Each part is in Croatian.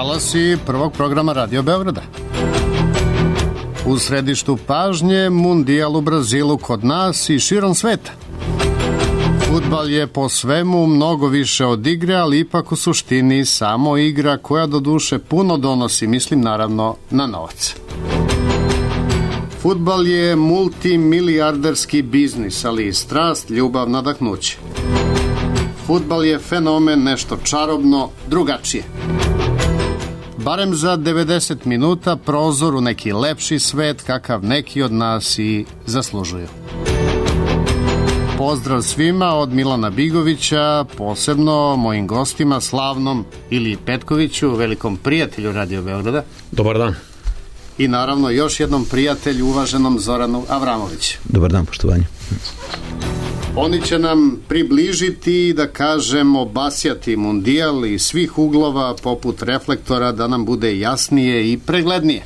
Talasi prvog programa Radio Beograda. U središtu pažnje Mundijal u Brazilu kod nas i širom sveta. Fudbal je po svemu mnogo više od igre, ali ipak u suštini samo igra koja do duše puno donosi, mislim naravno na novac. Fudbal je multimilijarderski biznis, ali i strast, ljubav, nadahnuće. Fudbal je fenomen, nešto čarobno, drugačije. Barem za 90 minuta prozor u neki lepši svet kakav neki od nas i zaslužuju. Pozdrav svima od Milana Bigovića, posebno mojim gostima Slavnom ili Petkoviću, velikom prijatelju Radio Beograda. Dobar dan. I naravno još jednom prijatelju, uvaženom Zoranu Avramoviću. Dobar dan, poštovanje. Oni će nam približiti, da kažem, obasjati Mundijal iz svih uglova poput reflektora da nam bude jasnije i preglednije.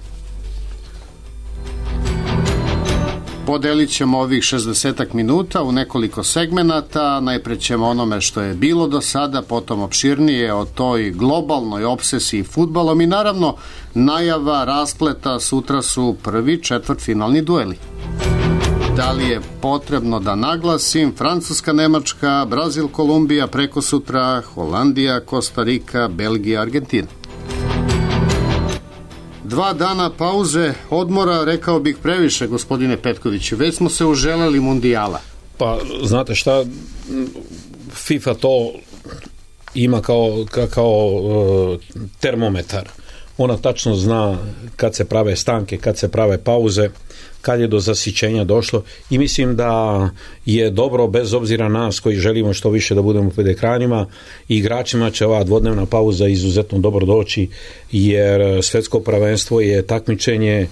Podelit ćemo ovih 60 minuta u nekoliko segmenata. Najpre ćemo onome što je bilo do sada, potom opširnije o toj globalnoj obsesiji fudbalom i naravno najava raspleta, sutra su prvi četvrtfinalni dueli. Da li je potrebno da naglasim, Francuska, Nemačka, Brazil, Kolumbija, prekosutra, Holandija, Kostarika, Belgija, Argentina. 2 dana pauze, odmora, rekao bih previše, gospodine Petkoviću. Već smo se uželeli Mundijala. Pa, znate šta, FIFA to ima kao termometar. Ona tačno zna kad se prave stanke, kad se prave pauze, kad je do zasićenja došlo i mislim da je dobro, bez obzira nas koji želimo što više da budemo pred ekranima, i igračima će ova dvodnevna pauza izuzetno dobro doći, jer svjetsko prvenstvo je takmičenje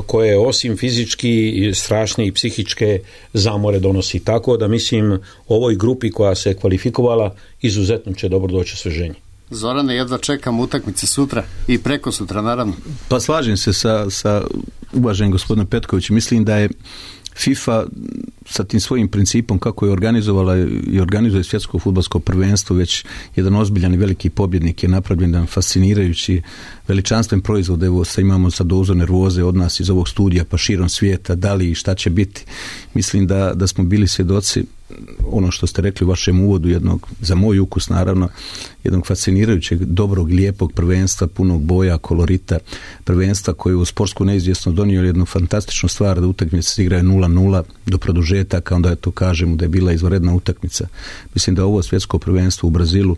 koje osim fizički strašne i psihičke zamore donosi. Tako da mislim ovoj grupi koja se kvalifikovala izuzetno će dobro doći osveženje. Zorane, jedva čekam utakmice sutra i preko sutra, naravno. Pa slažem se sa uvaženim gospodinom Petkovićem. Mislim da je FIFA sa tim svojim principom kako je organizovala i organizuje svjetsko fudbalsko prvenstvo već jedan ozbiljan i veliki pobjednik, je napravljen jedan fascinirajući veličanstven proizvod. Evo sad imamo sa dozu nervoze od nas iz ovog studija pa širom svijeta, da li i šta će biti. Mislim da smo bili svjedoci ono što ste rekli u vašem uvodu, jednog, za moj ukus naravno, jednog fascinirajućeg, dobrog, lijepog prvenstva, punog boja, kolorita, prvenstva koje u sportsku neizvjesno donio jednu fantastičnu stvar da utakmice se igraju 0-0 do produžetaka, onda to kažemo da je bila izvanredna utakmica. Mislim da ovo svjetsko prvenstvo u Brazilu,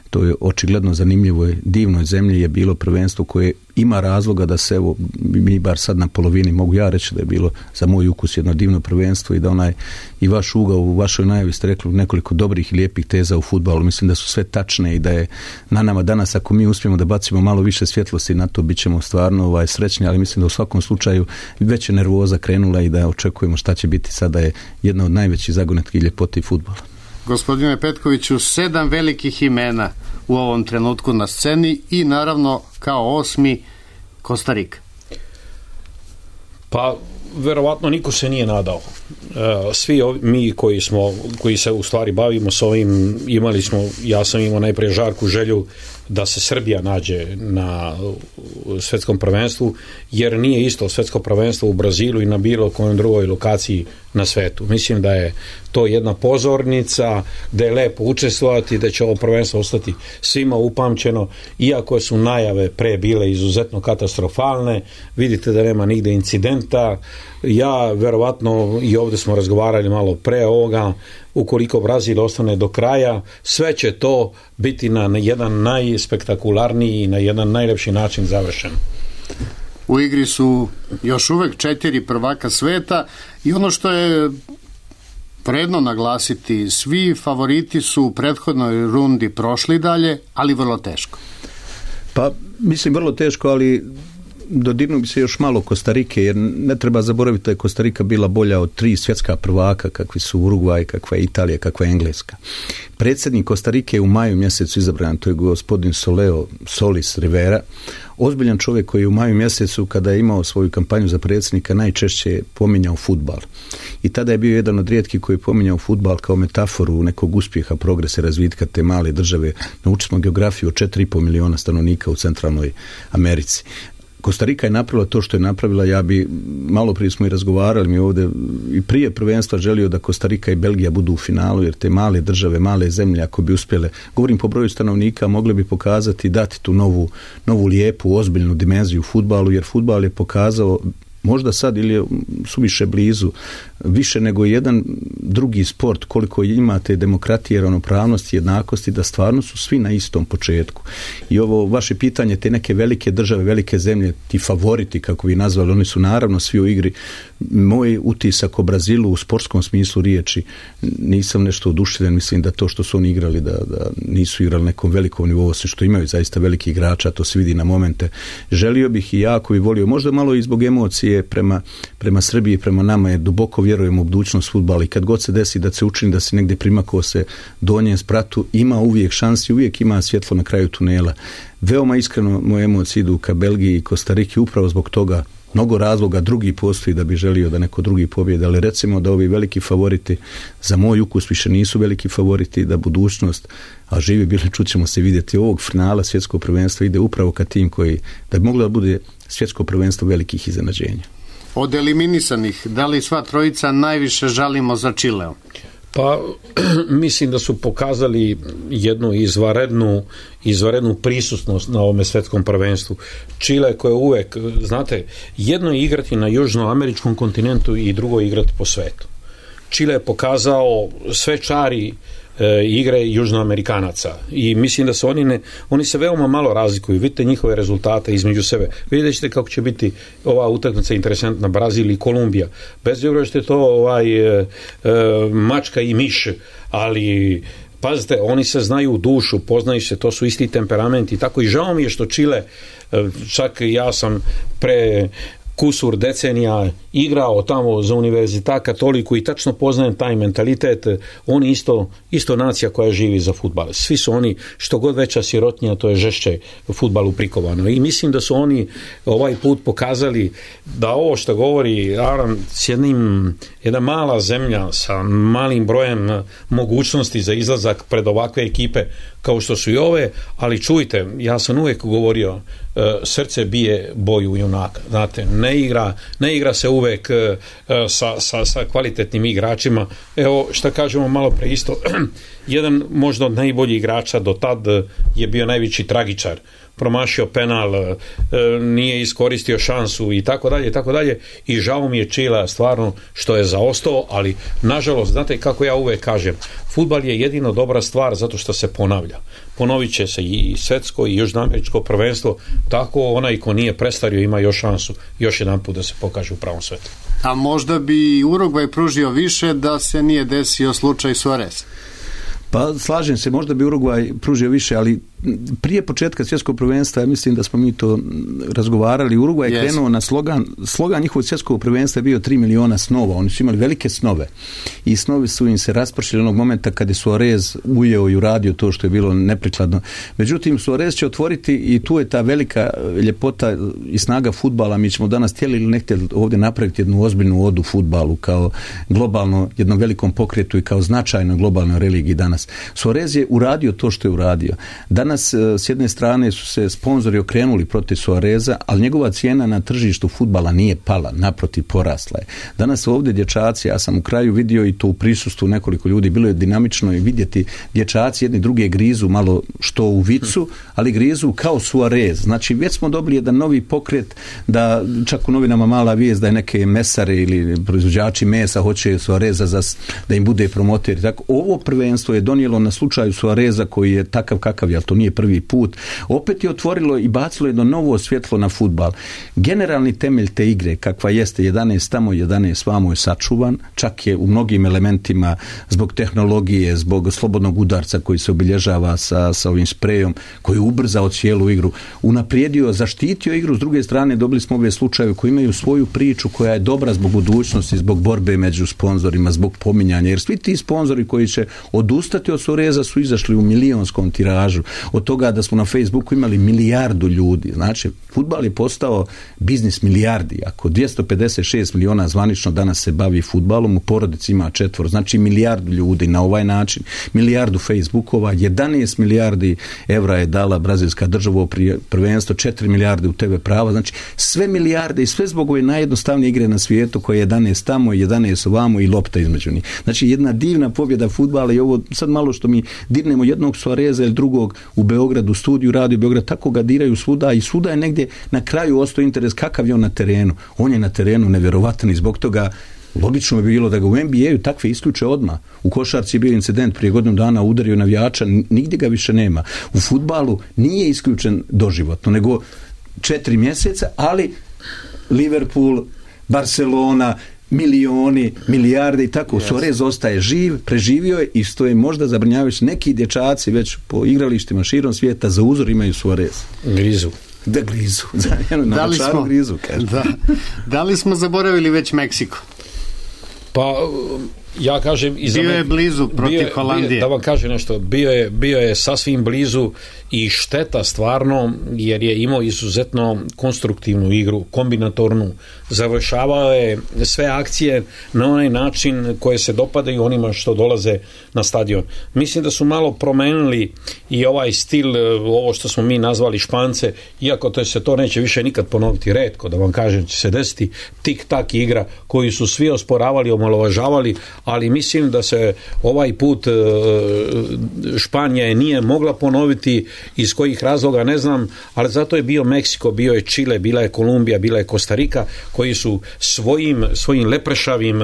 to je očigledno zanimljivoj, divnoj zemlji, je bilo prvenstvo koje ima razloga da se, evo, mi bar sad na polovini, mogu ja reći da je bilo za moj ukus jedno divno prvenstvo i da onaj i vaš ugao u vašoj najavi ste rekli nekoliko dobrih i lijepih teza u fudbalu. Mislim da su sve tačne i da je na nama danas, ako mi uspijemo da bacimo malo više svjetlosti na to, bit ćemo stvarno srećni, ali mislim da u svakom slučaju već je nervoza krenula i da očekujemo šta će biti. Sada je jedna od najvećih zagonetki ljepoti fudbala. Gospodine Petkoviću, 7 velikih imena u ovom trenutku na sceni i naravno kao 8. Kostarika. Pa verovatno niko se nije nadao. Svi mi koji se u stvari bavimo s ovim, ja sam imao najprije žarku želju da se Srbija nađe na svjetskom prvenstvu, jer nije isto svjetsko prvenstvo u Brazilu i na bilo kojoj drugoj lokaciji na svetu. Mislim da je to jedna pozornica, da je lepo učestvovati, da će ovo prvenstvo ostati svima upamćeno, iako su najave pre bile izuzetno katastrofalne. Vidite da nema nigde incidenta. Ja verovatno, i ovdje smo razgovarali malo pre ovoga, ukoliko Brazil ostane do kraja, sve će to biti na jedan najspektakularniji i na jedan najlepši način završeno. U igri su još uvek 4 prvaka sveta i ono što je vredno naglasiti, svi favoriti su u prethodnoj rundi prošli dalje, ali vrlo teško. Pa mislim vrlo teško, ali dodirnuo bi se još malo Kostarike, jer ne treba zaboraviti da je Kostarika bila bolja od 3 svjetska prvaka, kakvi su Urugvaj, kakva je Italija, kakva je Engleska. Predsjednik Kostarike je u maju mjesecu izabran, to je gospodin Solis Rivera, ozbiljan čovjek koji je u maju mjesecu, kada je imao svoju kampanju za predsjednika, najčešće pominjao fudbal. I tada je bio jedan od rijetkih koji je pominjao fudbal kao metaforu nekog uspjeha, progresa, razvitka te male države. Naučili smo geografiju od 4,5 miliona stanovnika u Centralnoj Americi. Kostarika je napravila to što je napravila. Ja bi, malo prije smo i razgovarali mi ovdje, i prije prvenstva želio da Kostarika i Belgija budu u finalu, jer te male države, male zemlje, ako bi uspjele, govorim po broju stanovnika, mogle bi pokazati, dati tu novu lijepu, ozbiljnu dimenziju fudbalu, jer fudbal je pokazao, možda sad ili je suviše blizu, više nego jedan drugi sport, koliko imate demokratije, ravnopravnosti, jednakosti, da stvarno su svi na istom početku. I ovo vaše pitanje, te neke velike države, velike zemlje, ti favoriti, kako bi nazvali, oni su naravno svi u igri. Moj utisak o Brazilu u sportskom smislu riječi, nisam nešto oduševljen, mislim da to što su oni igrali, da nisu igrali nekom velikom nivou, osim što imaju zaista veliki igrača, to se vidi na momente. Želio bih i jako bi volio, možda malo i zbog emocije prema Srbiji, prema nama, jer duboko vjerujem u budućnost fudbala i kad god se desi da se učini da se negdje primakao se donjem spratu, ima uvijek šansi, uvijek ima svjetlo na kraju tunela. Veoma iskreno moje emocije idu ka Belgiji i Kostariki upravo zbog toga. Mnogo razloga drugi postoji da bi želio da neko drugi pobjede, ali recimo da ovi veliki favoriti za moj ukus više nisu veliki favoriti, da budućnost, a živi bili, čućemo se vidjeti, ovog finala svjetskog prvenstva ide upravo ka tim koji, da bi moglo da bude svjetsko prvenstvo velikih iznenađenja. Od eliminisanih, da li sva trojica najviše žalimo za Čileom? Pa mislim da su pokazali jednu izvanrednu prisutnost na ovome svjetskom prvenstvu. Čile koje uvek, znate, jedno je igrati na južnoameričkom kontinentu i drugo je igrati po svetu. Čile je pokazao sve čari igre južnoamerikanaca i mislim da se oni se veoma malo razlikuju. Vidite njihove rezultate između sebe. Vidjet ćete kako će biti ova utakmica interesantna, Brazil i Kolumbija. Bez obzira što je to mačka i miš, ali pazite, oni se znaju u dušu, poznaju se, to su isti temperamenti i tako. I žao mi je što Čile, čak ja sam pre kusur decenija igrao tamo za Univerzitet Katoliku i tačno poznajem taj mentalitet. Oni isto nacija koja živi za fudbal. Svi su oni, što god veća sirotnja, to je žešće fudbalu prikovano. I mislim da su oni ovaj put pokazali da ovo što govori Aran, s jedna mala zemlja sa malim brojem mogućnosti za izlazak pred ovakve ekipe kao što su i ove, ali čujte, ja sam uvijek govorio, srce bije boju junaka. Znate, ne igra se uvijek sa kvalitetnim igračima. Evo što kažemo malo pre isto, jedan možda od najboljih igrača do tad je bio najveći tragičar, promašio penal, nije iskoristio šansu i tako dalje i žao mi je Čila stvarno što je zaostao, ali nažalost, znate kako ja uvijek kažem, fudbal je jedino dobra stvar zato što se ponavlja. Ponovit će se i svjetsko i južnoameričko prvenstvo, tako onaj ko nije prestario ima još šansu još jedan put da se pokaže u pravom svetu. A možda bi Urugvaj pružio više da se nije desio slučaj Suarez? Pa slažem se, možda bi Urugvaj pružio više, ali prije početka svjetskog prvenstva, ja mislim da smo mi to razgovarali, Urugvaj je krenuo na slogan njihovog svjetskog prvenstva je bio 3 miliona snova, oni su imali velike snove i snovi su im se raspršili onog momenta kada je Suarez ujeo i uradio to što je bilo neprikladno. Međutim, Suarez će otvoriti i tu je ta velika ljepota i snaga fudbala. Mi ćemo danas htjeli ili ne htjeli ovdje napraviti jednu ozbiljnu odu fudbalu kao globalno, jednom velikom pokretu i kao značajnoj globalnoj religiji danas. Suarez je uradio to što je uradio. Danas s jedne strane su se sponzori okrenuli protiv Suareza, ali njegova cijena na tržištu fudbala nije pala, naprotiv porasla je. Danas ovdje dječaci, ja sam u kraju vidio i to u prisustvu nekoliko ljudi, bilo je dinamično i vidjeti dječaci jedni druge grizu malo što u vicu, ali grizu kao Suarez. Znači već smo dobili jedan novi pokret da čak u novinama mala vijest da je neke mesare ili proizvođači mesa hoće Suareza da im bude promoter. Tako, ovo prvenstvo je donijelo na slučaju Suareza koji je takav kakav je, ali to nije prvi put, opet je otvorilo i bacilo jedno novo svjetlo na fudbal. Generalni temelj te igre, kakva jeste 11 tamo, 11 vamo, je sačuvan, čak je u mnogim elementima zbog tehnologije, zbog slobodnog udarca koji se obilježava sa ovim sprejom, koji je ubrzao cijelu igru, unaprijedio, zaštitio igru, s druge strane dobili smo ove slučajeve koji imaju svoju priču koja je dobra zbog budućnosti, zbog borbe među sponzorima, zbog pominjanja, jer svi ti sponzori koji će odustati od Suareza su izašli u milionskom tiražu, od toga da smo na Facebooku imali 1 milijardu ljudi. Znači, fudbal je postao biznis milijardi. Ako 256 miliona zvanično danas se bavi fudbalom, u porodici ima 4, znači 1 milijardu ljudi na ovaj način, 1 milijardu Facebookova, 11 milijardi evra je dala brazilska država u prvenstvo, 4 milijarde u TV prava, znači sve milijarde i sve zbog ove najjednostavnije igre na svijetu koje je 11 tamo, 11 ovamo i lopta između njih. Znači jedna divna pobjeda fudbala i ovo sad malo što mi dirnemo jednog Suareza ili drugog u Beogradu, studiju Radio Beograd, tako ga diraju svuda i svuda je negdje na kraju ostao interes kakav je on na terenu. On je na terenu nevjerovatan i zbog toga logično bi bilo da ga u NBA-u takve isključe odmah. U košarci je bio incident prije godinu dana, udario navijača, nigdje ga više nema. U fudbalu nije isključen doživotno, nego 4 mjeseca, ali Liverpool, Barcelona, milioni, milijarde i tako. Yes. Suarez ostaje živ, preživio je i što je možda zabrinjavajuće, neki dječaci već po igralištima širom svijeta za uzor imaju Suarez. Grizu. Da grizu. Da li smo zaboravili već Meksiko? Pa ja kažem bio je blizu protiv Holandije. Da vam kažem nešto, bio je sasvim blizu i šteta stvarno, jer je imao izuzetno konstruktivnu igru, kombinatornu, završavao je sve akcije na onaj način koje se dopadaju onima što dolaze na stadion. Mislim da su malo promenili i ovaj stil, ovo što smo mi nazvali Špance, iako se to neće više nikad ponoviti, retko da vam kažem će se desiti tik-tak igra koju su svi osporavali, omalovažavali, ali mislim da se ovaj put Španija nije mogla ponoviti, iz kojih razloga ne znam, ali zato je bio Meksiko, bio je Čile, bila je Kolumbija, bila je Kostarika, koji su svojim leprešavim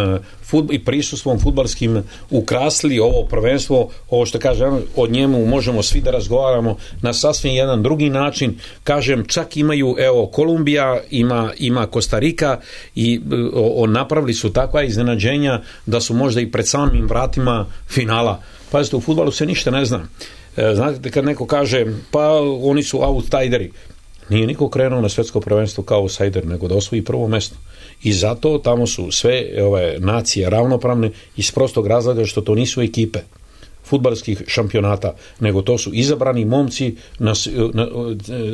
i prisustvom fudbalskim ukrasili ovo prvenstvo, ovo što kažem, o njemu možemo svi da razgovaramo na sasvim jedan drugi način. Kažem, čak imaju, evo, Kolumbija, ima Kostarika i napravili su takva iznenađenja da su možda i pred samim vratima finala. Pazite, u fudbalu se ništa ne zna. Znate, kad neko kaže, pa oni su outsideri, nije niko krenuo na svjetsko prvenstvo kao outsider, nego da osvoji prvo mjesto. I zato tamo su sve ove nacije ravnopravne iz prostog razloga što to nisu ekipe fudbalskih šampionata, nego to su izabrani momci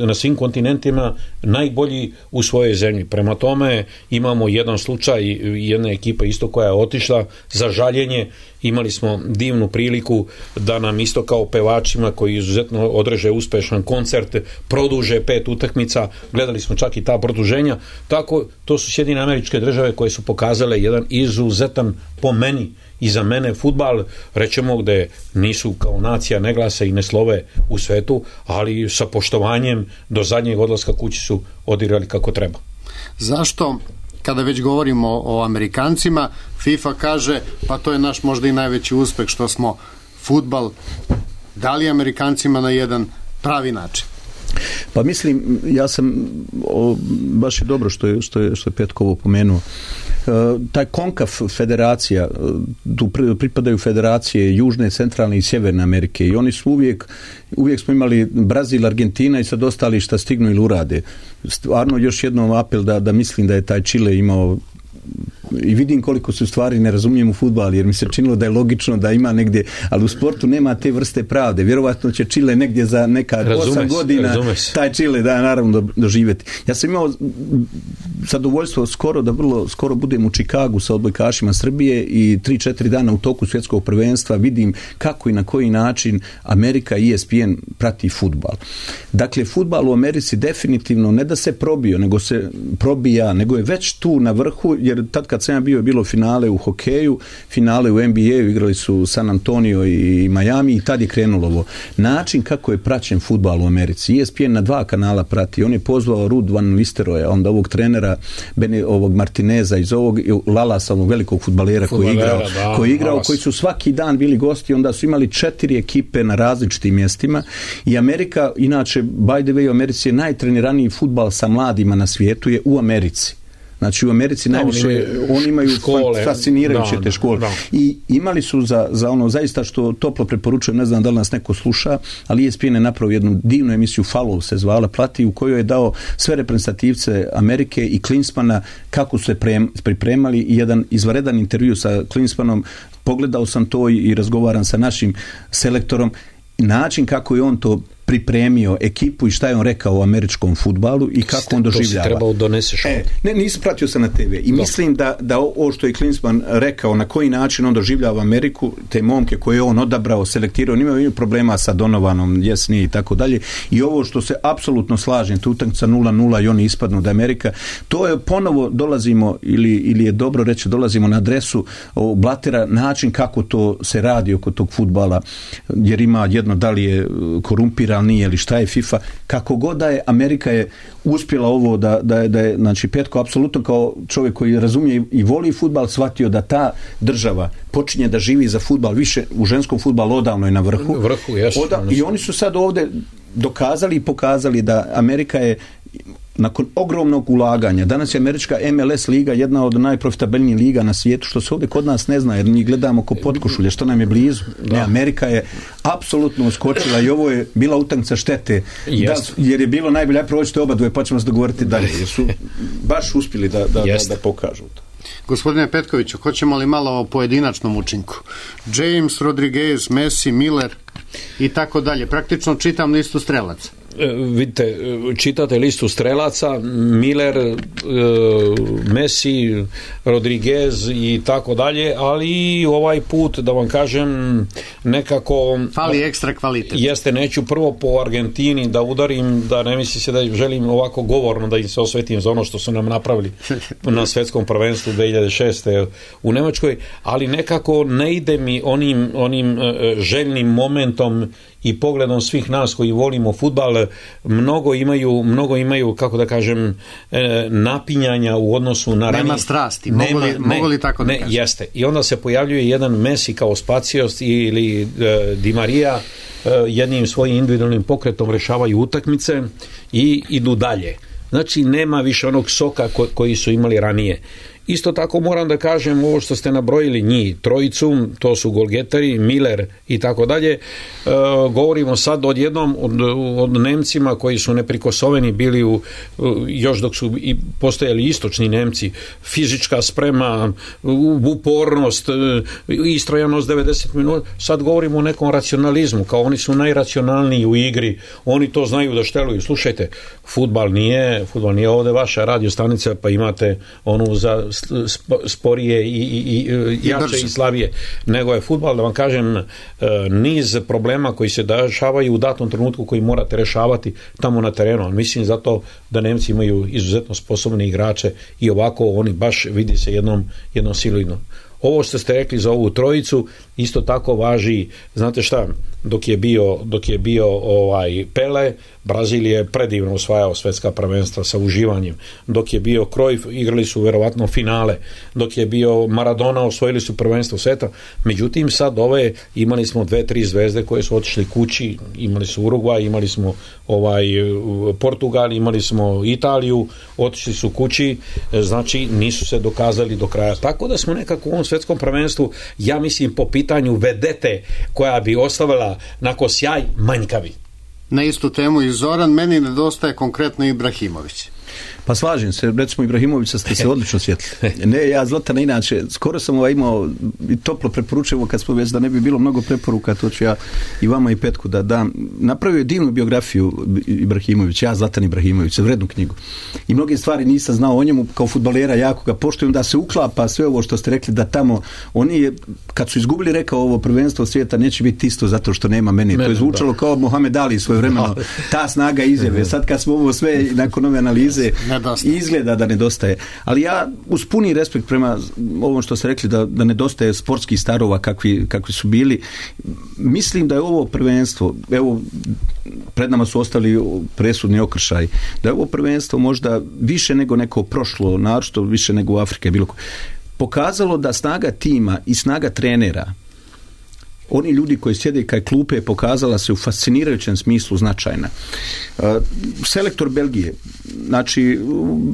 na svim kontinentima, najbolji u svojoj zemlji. Prema tome imamo jedan slučaj jedne ekipe isto koja je otišla za žaljenje. Imali smo divnu priliku da nam isto kao pevačima koji izuzetno održe uspješan koncert produže 5 utakmica, gledali smo čak i ta produženja. Tako, to su Sjedinjene Američke Države koje su pokazale jedan izuzetan, po meni i za mene, fudbal, rećemo, gde nisu kao nacija ne glase i ne slove u svetu, ali sa poštovanjem do zadnjeg odlaska kući su odigrali kako treba. Zašto, kada već govorimo o Amerikancima, FIFA kaže, pa to je naš možda i najveći uspeh što smo fudbal dali Amerikancima na jedan pravi način? Pa mislim, ja sam, baš je dobro što je Petkovo pomenuo, taj CONCACAF federacija, tu pripadaju federacije Južne, Centralne i Sjeverne Amerike i oni su uvijek smo imali Brazil, Argentina i sad ostali šta stignu ili urade. Stvarno još jednom apel da mislim da je taj Čile imao, i vidim koliko se u stvari ne razumijem u fudbal, jer mi se činilo da je logično da ima negdje, ali u sportu nema te vrste pravde. Vjerovatno će Čile negdje za neka 8 godina taj Čile naravno doživjeti. Ja sam imao zadovoljstvo da vrlo skoro budem u Čikagu sa odbojkašima Srbije i 3-4 dana u toku svjetskog prvenstva vidim kako i na koji način Amerika i ESPN prati fudbal. Dakle, fudbal u Americi definitivno ne da se probio, nego se probija, nego je već tu na vrhu, jer tad kad sam ja bio, je bilo finale u hokeju, finale u NBA-u, igrali su San Antonio i Miami i tad je krenulo ovo. Način kako je praćen fudbal u Americi, ESPN na 2 kanala prati, on je pozvao Ruud van Nistelrooya, onda ovog trenera ovog Martineza, iz ovog Lalasa, onog velikog fudbalera koji je igrao, koji su svaki dan bili gosti, onda su imali 4 ekipe na različitim mjestima i Amerika, inače, by the way, u Americi je najtreniraniji fudbal sa mladima na svijetu je u Americi. Znači u Americi najviše oni imaju fascinirajuće te škole. I imali su za ono zaista što toplo preporučujem, ne znam da li nas neko sluša, ali ESPN je napravio jednu divnu emisiju, Follow se zvala, Plati, u kojoj je dao sve reprezentativce Amerike i Klinsmana kako su se pripremali i jedan izvanredan intervju sa Klinsmanom. Pogledao sam to i razgovaram sa našim selektorom. Način kako je on to pripremio ekipu i šta je on rekao o američkom fudbalu i kako on doživljava. To si trebao doneseš. Nisam pratio sam na TV i mislim da ovo što je Klinsmann rekao, na koji način on doživljava Ameriku, te momke koje je on odabrao, selektirao, imaju problema sa Donovanom, Jesnije i tako dalje, i ovo što se apsolutno slažem, tu utakmica 0-0 i oni ispadnu da Amerika, to je ponovo dolazimo, ili je dobro reći, dolazimo na adresu Blatera, način kako to se radi oko tog fudbala, jer ima jedno da li je korumpiran, nije, ili šta je FIFA, kako god da je, Amerika je uspjela ovo da je, znači Petko apsolutno kao čovjek koji razumije i voli fudbal, shvatio da ta država počinje da živi za fudbal, više u ženskom fudbalu odavno je na vrhu. I oni su sad ovdje dokazali i pokazali da Amerika je nakon ogromnog ulaganja, danas je američka MLS liga jedna od najprofitabilnijih liga na svijetu, što se ovdje kod nas ne zna, jer mi gledamo ko potkošulje, što nam je blizu. Ne, Amerika je apsolutno uskočila i ovo je bila utakmica štete, jer je bilo najbolje, prođite oba dvoje, pa ćemo se dogovoriti dalje, jer su baš uspjeli da pokažu to. Gospodine Petkoviću, hoćemo li malo o pojedinačnom učinku? James, Rodriguez, Messi, Miller i tako dalje. Praktično čitam listu strelaca. Vidite, čitate listu strelaca, Miller, Messi, Rodriguez i tako dalje, ali ovaj put, da vam kažem, nekako fali ekstra kvalitet. Jeste, neću prvo po Argentini da udarim, da ne misli se da želim ovako govorno da im se osvetim za ono što su nam napravili na svjetskom prvenstvu 2006. u Njemačkoj, ali nekako ne ide mi onim željnim momentom i pogledom svih nas koji volimo fudbal. Mnogo imaju, kako da kažem, napinjanja u odnosu na ranije. Nema strasti, mogu li tako da kažem? Jeste. I onda se pojavljuje jedan Messi kao Spacios ili Di Maria, jednim svojim individualnim pokretom rješavaju utakmice i idu dalje. Znači nema više onog soka koji su imali ranije. Isto tako moram da kažem ovo što ste nabrojili njih, trojicu, to su golgeteri, Miller i tako dalje. Govorimo sad odjednom od Nemcima koji su neprikosoveni bili još dok su i postojali istočni Nemci, fizička sprema, upornost, istrojanost 90 minuta. Sad govorimo o nekom racionalizmu, kao oni su najracionalniji u igri, oni to znaju da šteluju. Slušajte, fudbal nije ovdje vaša radiostanica pa imate onu za sporije i jače i slabije, nego je fudbal, da vam kažem, niz problema koji se dešavaju u datom trenutku koji morate rešavati tamo na terenu. Mislim zato da Nemci imaju izuzetno sposobne igrače i ovako oni baš vidi se jednom siluidno. Ovo što ste rekli za ovu trojicu isto tako važi, znate šta, dok je bio Pele, Brazil je predivno osvajao svjetska prvenstva sa uživanjem. Dok je bio Cruyff, igrali su verovatno finale. Dok je bio Maradona, osvojili su prvenstvo sveta. Međutim, sad imali smo 2-3 zvezde koje su otišli kući, imali su Urugvaj, imali smo Portugal, imali smo Italiju, otišli su kući, znači nisu se dokazali do kraja. Tako da smo nekako u ovom svjetskom prvenstvu, ja mislim, po pitanju vedete koja bi ostavila nakon sjaj, manjkavi. Na istu temu i Zoran, meni nedostaje konkretno Ibrahimović. Pa slažem se, recimo Ibrahimovića ste se odlično sjetili. Ne, ja Zlatana inače, skoro sam imao i toplo preporučujem kad smo već da ne bi bilo mnogo preporuka, to ću ja i vama i Petku da dam. Napravio je divnu biografiju Ibrahimović, ja Zlatan Ibrahimović, vrednu knjigu. I mnoge stvari nisam znao o njemu, kao fudbalera jako ga poštujem, da se uklapa sve ovo što ste rekli, da tamo oni kad su izgubili, rekao, ovo prvenstvo svijeta neće biti isto zato što nema mene. To je zvučalo kao Mohamed Ali svojevremeno, ta snaga izjave. Sad kad smo ovo sve nakon ove analize veze izgleda da nedostaje. Ali ja uz puni respekt prema ovom što ste rekli da nedostaje sportskih starova kakvi su bili, mislim da je ovo prvenstvo, evo pred nama su ostali presudni okršaj, da je ovo prvenstvo možda više nego neko prošlo, naročito više nego u Afrike bilo pokazalo da snaga tima i snaga trenera, oni ljudi koji sjede kaj klupe, pokazala se u fascinirajućem smislu značajna. Selektor Belgije, znači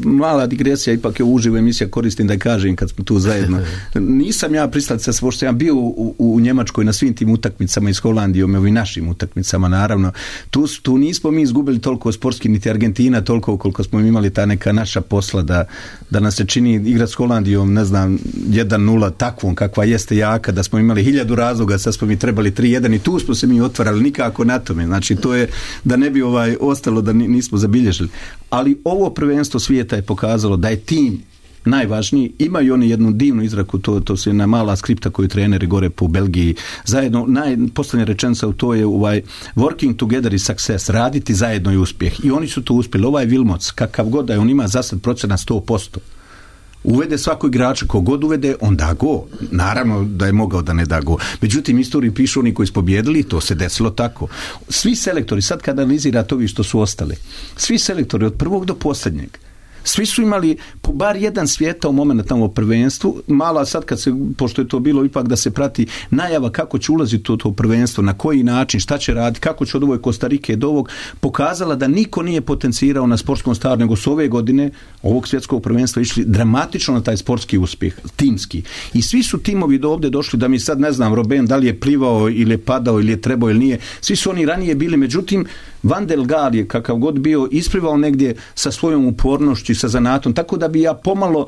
mala digresija, ipak je uživo emisija, koristim da kažem kad smo tu zajedno. Nisam ja pristalica, pošto sam bio u Njemačkoj na svim tim utakmicama i s Holandijom, ovim našim utakmicama naravno. Tu nismo mi izgubili toliko sportski, niti Argentina toliko koliko smo imali ta neka naša posla da nas se čini igrati s Holandijom, ne znam, 1-0 takvom kakva jeste jaka, da smo imali 1000 razloga, sad smo mi trebali 3-1 i tu smo se mi otvarali, nikako na tome. Znači to je da ne bi ostalo da nismo zabilježili. Ali ovo prvenstvo svijeta je pokazalo da je tim najvažniji. Imaju oni jednu divnu izraku, to se jedna mala skripta koju treneri gore po Belgiji zajedno, posljednja rečenica u to je working together is success, raditi zajedno je uspjeh. I oni su to uspjeli. Ovaj Wilmots, kakav god da je, on ima za sad procenat 100%. Uvede svako igrača, kogod uvede, on da go. Naravno da je mogao da ne da go. Međutim, istoriji pišu oni koji su pobjedili, to se desilo tako. Svi selektori, sad kad analizirate ovi što su ostali, svi selektori od prvog do posljednjeg, svi su imali po bar jedan svijetao moment tamo u prvenstvu, mala sad kad se, pošto je to bilo ipak da se prati najava kako će ulaziti u to prvenstvo, na koji način, šta će raditi, kako će od ovoj Kostarike do ovog, pokazala da niko nije potencirao na sportskom staru, nego su ove godine ovog svjetskog prvenstva išli dramatično na taj sportski uspjeh, timski. I svi su timovi do ovdje došli, da mi sad ne znam, Robben, da li je plivao ili je padao ili je trebao ili nije, svi su oni ranije bili, međutim Van der Gaal je kakav god bio isplivao negdje sa svojom upornošću i sa zanatom, tako da bi ja pomalo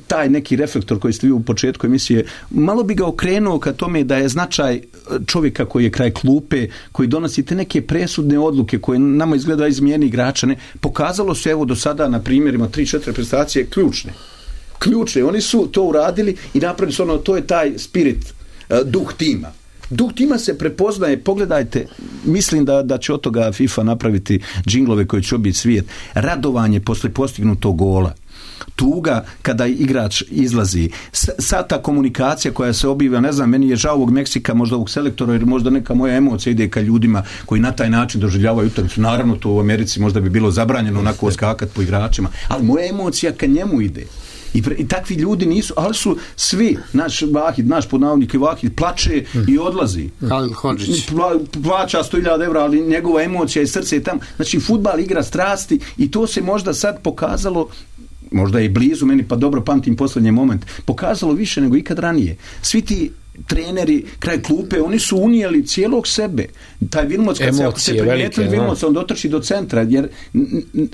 taj neki reflektor koji ste vi u početku emisije, malo bi ga okrenuo ka tome da je značaj čovjeka koji je kraj klupe, koji donosi te neke presudne odluke koje nama izgleda izmijeni igrača, ne, pokazalo se evo do sada na primjerima 3-4 prestacije ključne, oni su to uradili i napravili su to je taj spirit, duh tima. Duh tima se prepoznaje, pogledajte, mislim da će od toga FIFA napraviti džinglove koji će obiti svijet. Radovanje posle postignutog gola, tuga kada igrač izlazi, ta komunikacija koja se obiva, ne znam, meni je žao ovog Meksika, možda ovog selektora, jer možda neka moja emocija ide ka ljudima koji na taj način doživljavaju utakmicu. Naravno, to u Americi možda bi bilo zabranjeno onako skakati po igračima, ali moja emocija ka njemu ide. I takvi ljudi nisu, ali su svi, naš Vahid, naš podnavodnik Vahid, plače i odlazi. Plaća 100.000 evra, ali njegova emocija i srce je tam. Znači, fudbal igra strasti i to se možda sad pokazalo, možda je blizu meni, pa dobro pamtim posljednji moment, pokazalo više nego ikad ranije. Svi ti treneri kraj klupe, oni su unijeli cijelog sebe. Taj Wilmots, kad se, ako se primijetili Wilmots, on dotrči do centra, jer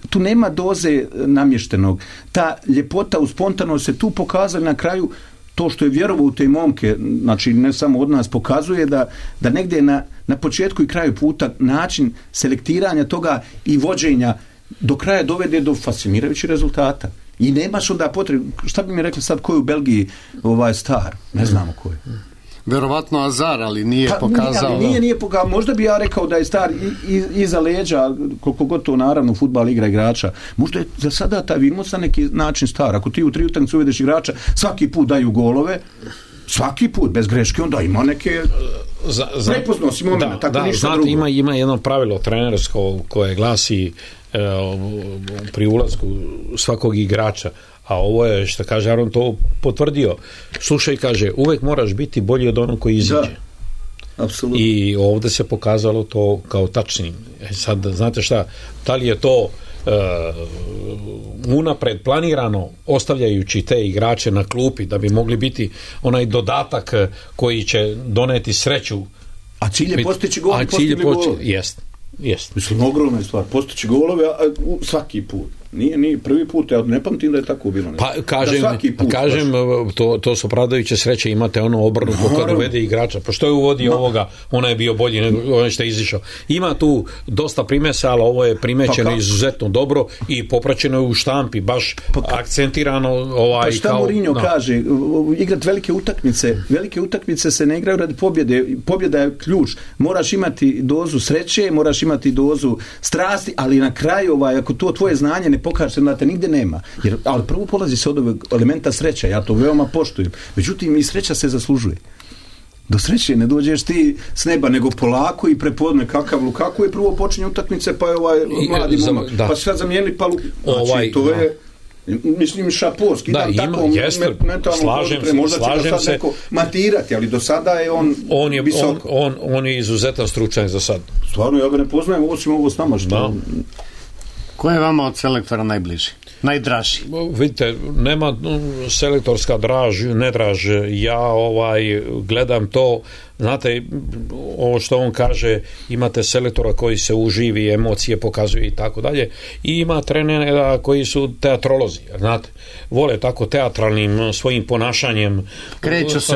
tu nema doze namještenog. Ta ljepota u spontanost se tu pokazala na kraju. To što je vjerovao u te momke, znači ne samo od nas, pokazuje da negdje na početku i kraju puta način selektiranja toga i vođenja do kraja dovede do fascinirajućih rezultata. I nemaš onda potrebe, šta bi mi rekli sad ko je u Belgiji star? Ne znamo ko je. Verovatno Azar, ali nije pokazao. Nije pokazao. Možda bi ja rekao da je star iza leđa, koliko god to naravno fudbal igra igrača. Možda je za sada taj Wilmots na neki način star. Ako ti u 3 utakmice uvedeš igrača, svaki put daju golove, svaki put, bez greške, onda ima neke prepoznao momena, tako ništa drugo. Ima jedno pravilo trenersko koje glasi pri ulasku svakog igrača, a ovo je, što kaže Aron, to potvrdio. Slušaj, kaže, uvek moraš biti bolji od onog koji izađe. Apsolutno. I ovdje se pokazalo to kao tačnim. Sad, znate šta, da li je to unapred planirano, ostavljajući te igrače na klupi da bi mogli biti onaj dodatak koji će doneti sreću. A cilj je postići gol, Jest. Mislim, ogromna je stvar. Postići golove svaki put. Nije prvi put, ja ne pamtim da je tako bilo. Pa kažem, to su opravdajuće sreće, imate ono obrnuto kad uvede igrača. Pa što je uvodio ovoga, ona je bio bolji nego onaj što je izišao. Ima tu dosta primesa, ali ovo je primećeno izuzetno dobro i popraćeno je u štampi, baš akcentirano. Pa šta Mourinho kaže, igrati velike utakmice se ne igraju radi pobjede. Pobjeda je ključ. Moraš imati dozu sreće, moraš imati dozu strasti, ali na kraju, ako to tvoje znanje ne pokaže se, znate, nigde nema. Ali prvo polazi se od ovog elementa sreća, ja to veoma poštujem. Međutim, i sreća se zaslužuje. Do sreće ne dođeš ti s neba, nego polako i prepodne kakav Lukaku je prvo počinje utakmice, pa je ovaj mladi momak, pa se sad zamijenili, pa znači, to je mislim šaporski, da, tako slažem se, neko matirati, ali do sada je on je izuzetan stručnjak za sad. Stvarno, ja ga ne poznajem, osim ovo s nama što... Ko je vama od selektora najbliži? Najdraži? Vidite, nema selektorska ne draž. Ja gledam to, znate, ovo što on kaže, imate selektora koji se uživi, emocije pokazuje i tako dalje, i ima trenera koji su teatrolozi, znate, vole tako teatralnim svojim ponašanjem, kreću se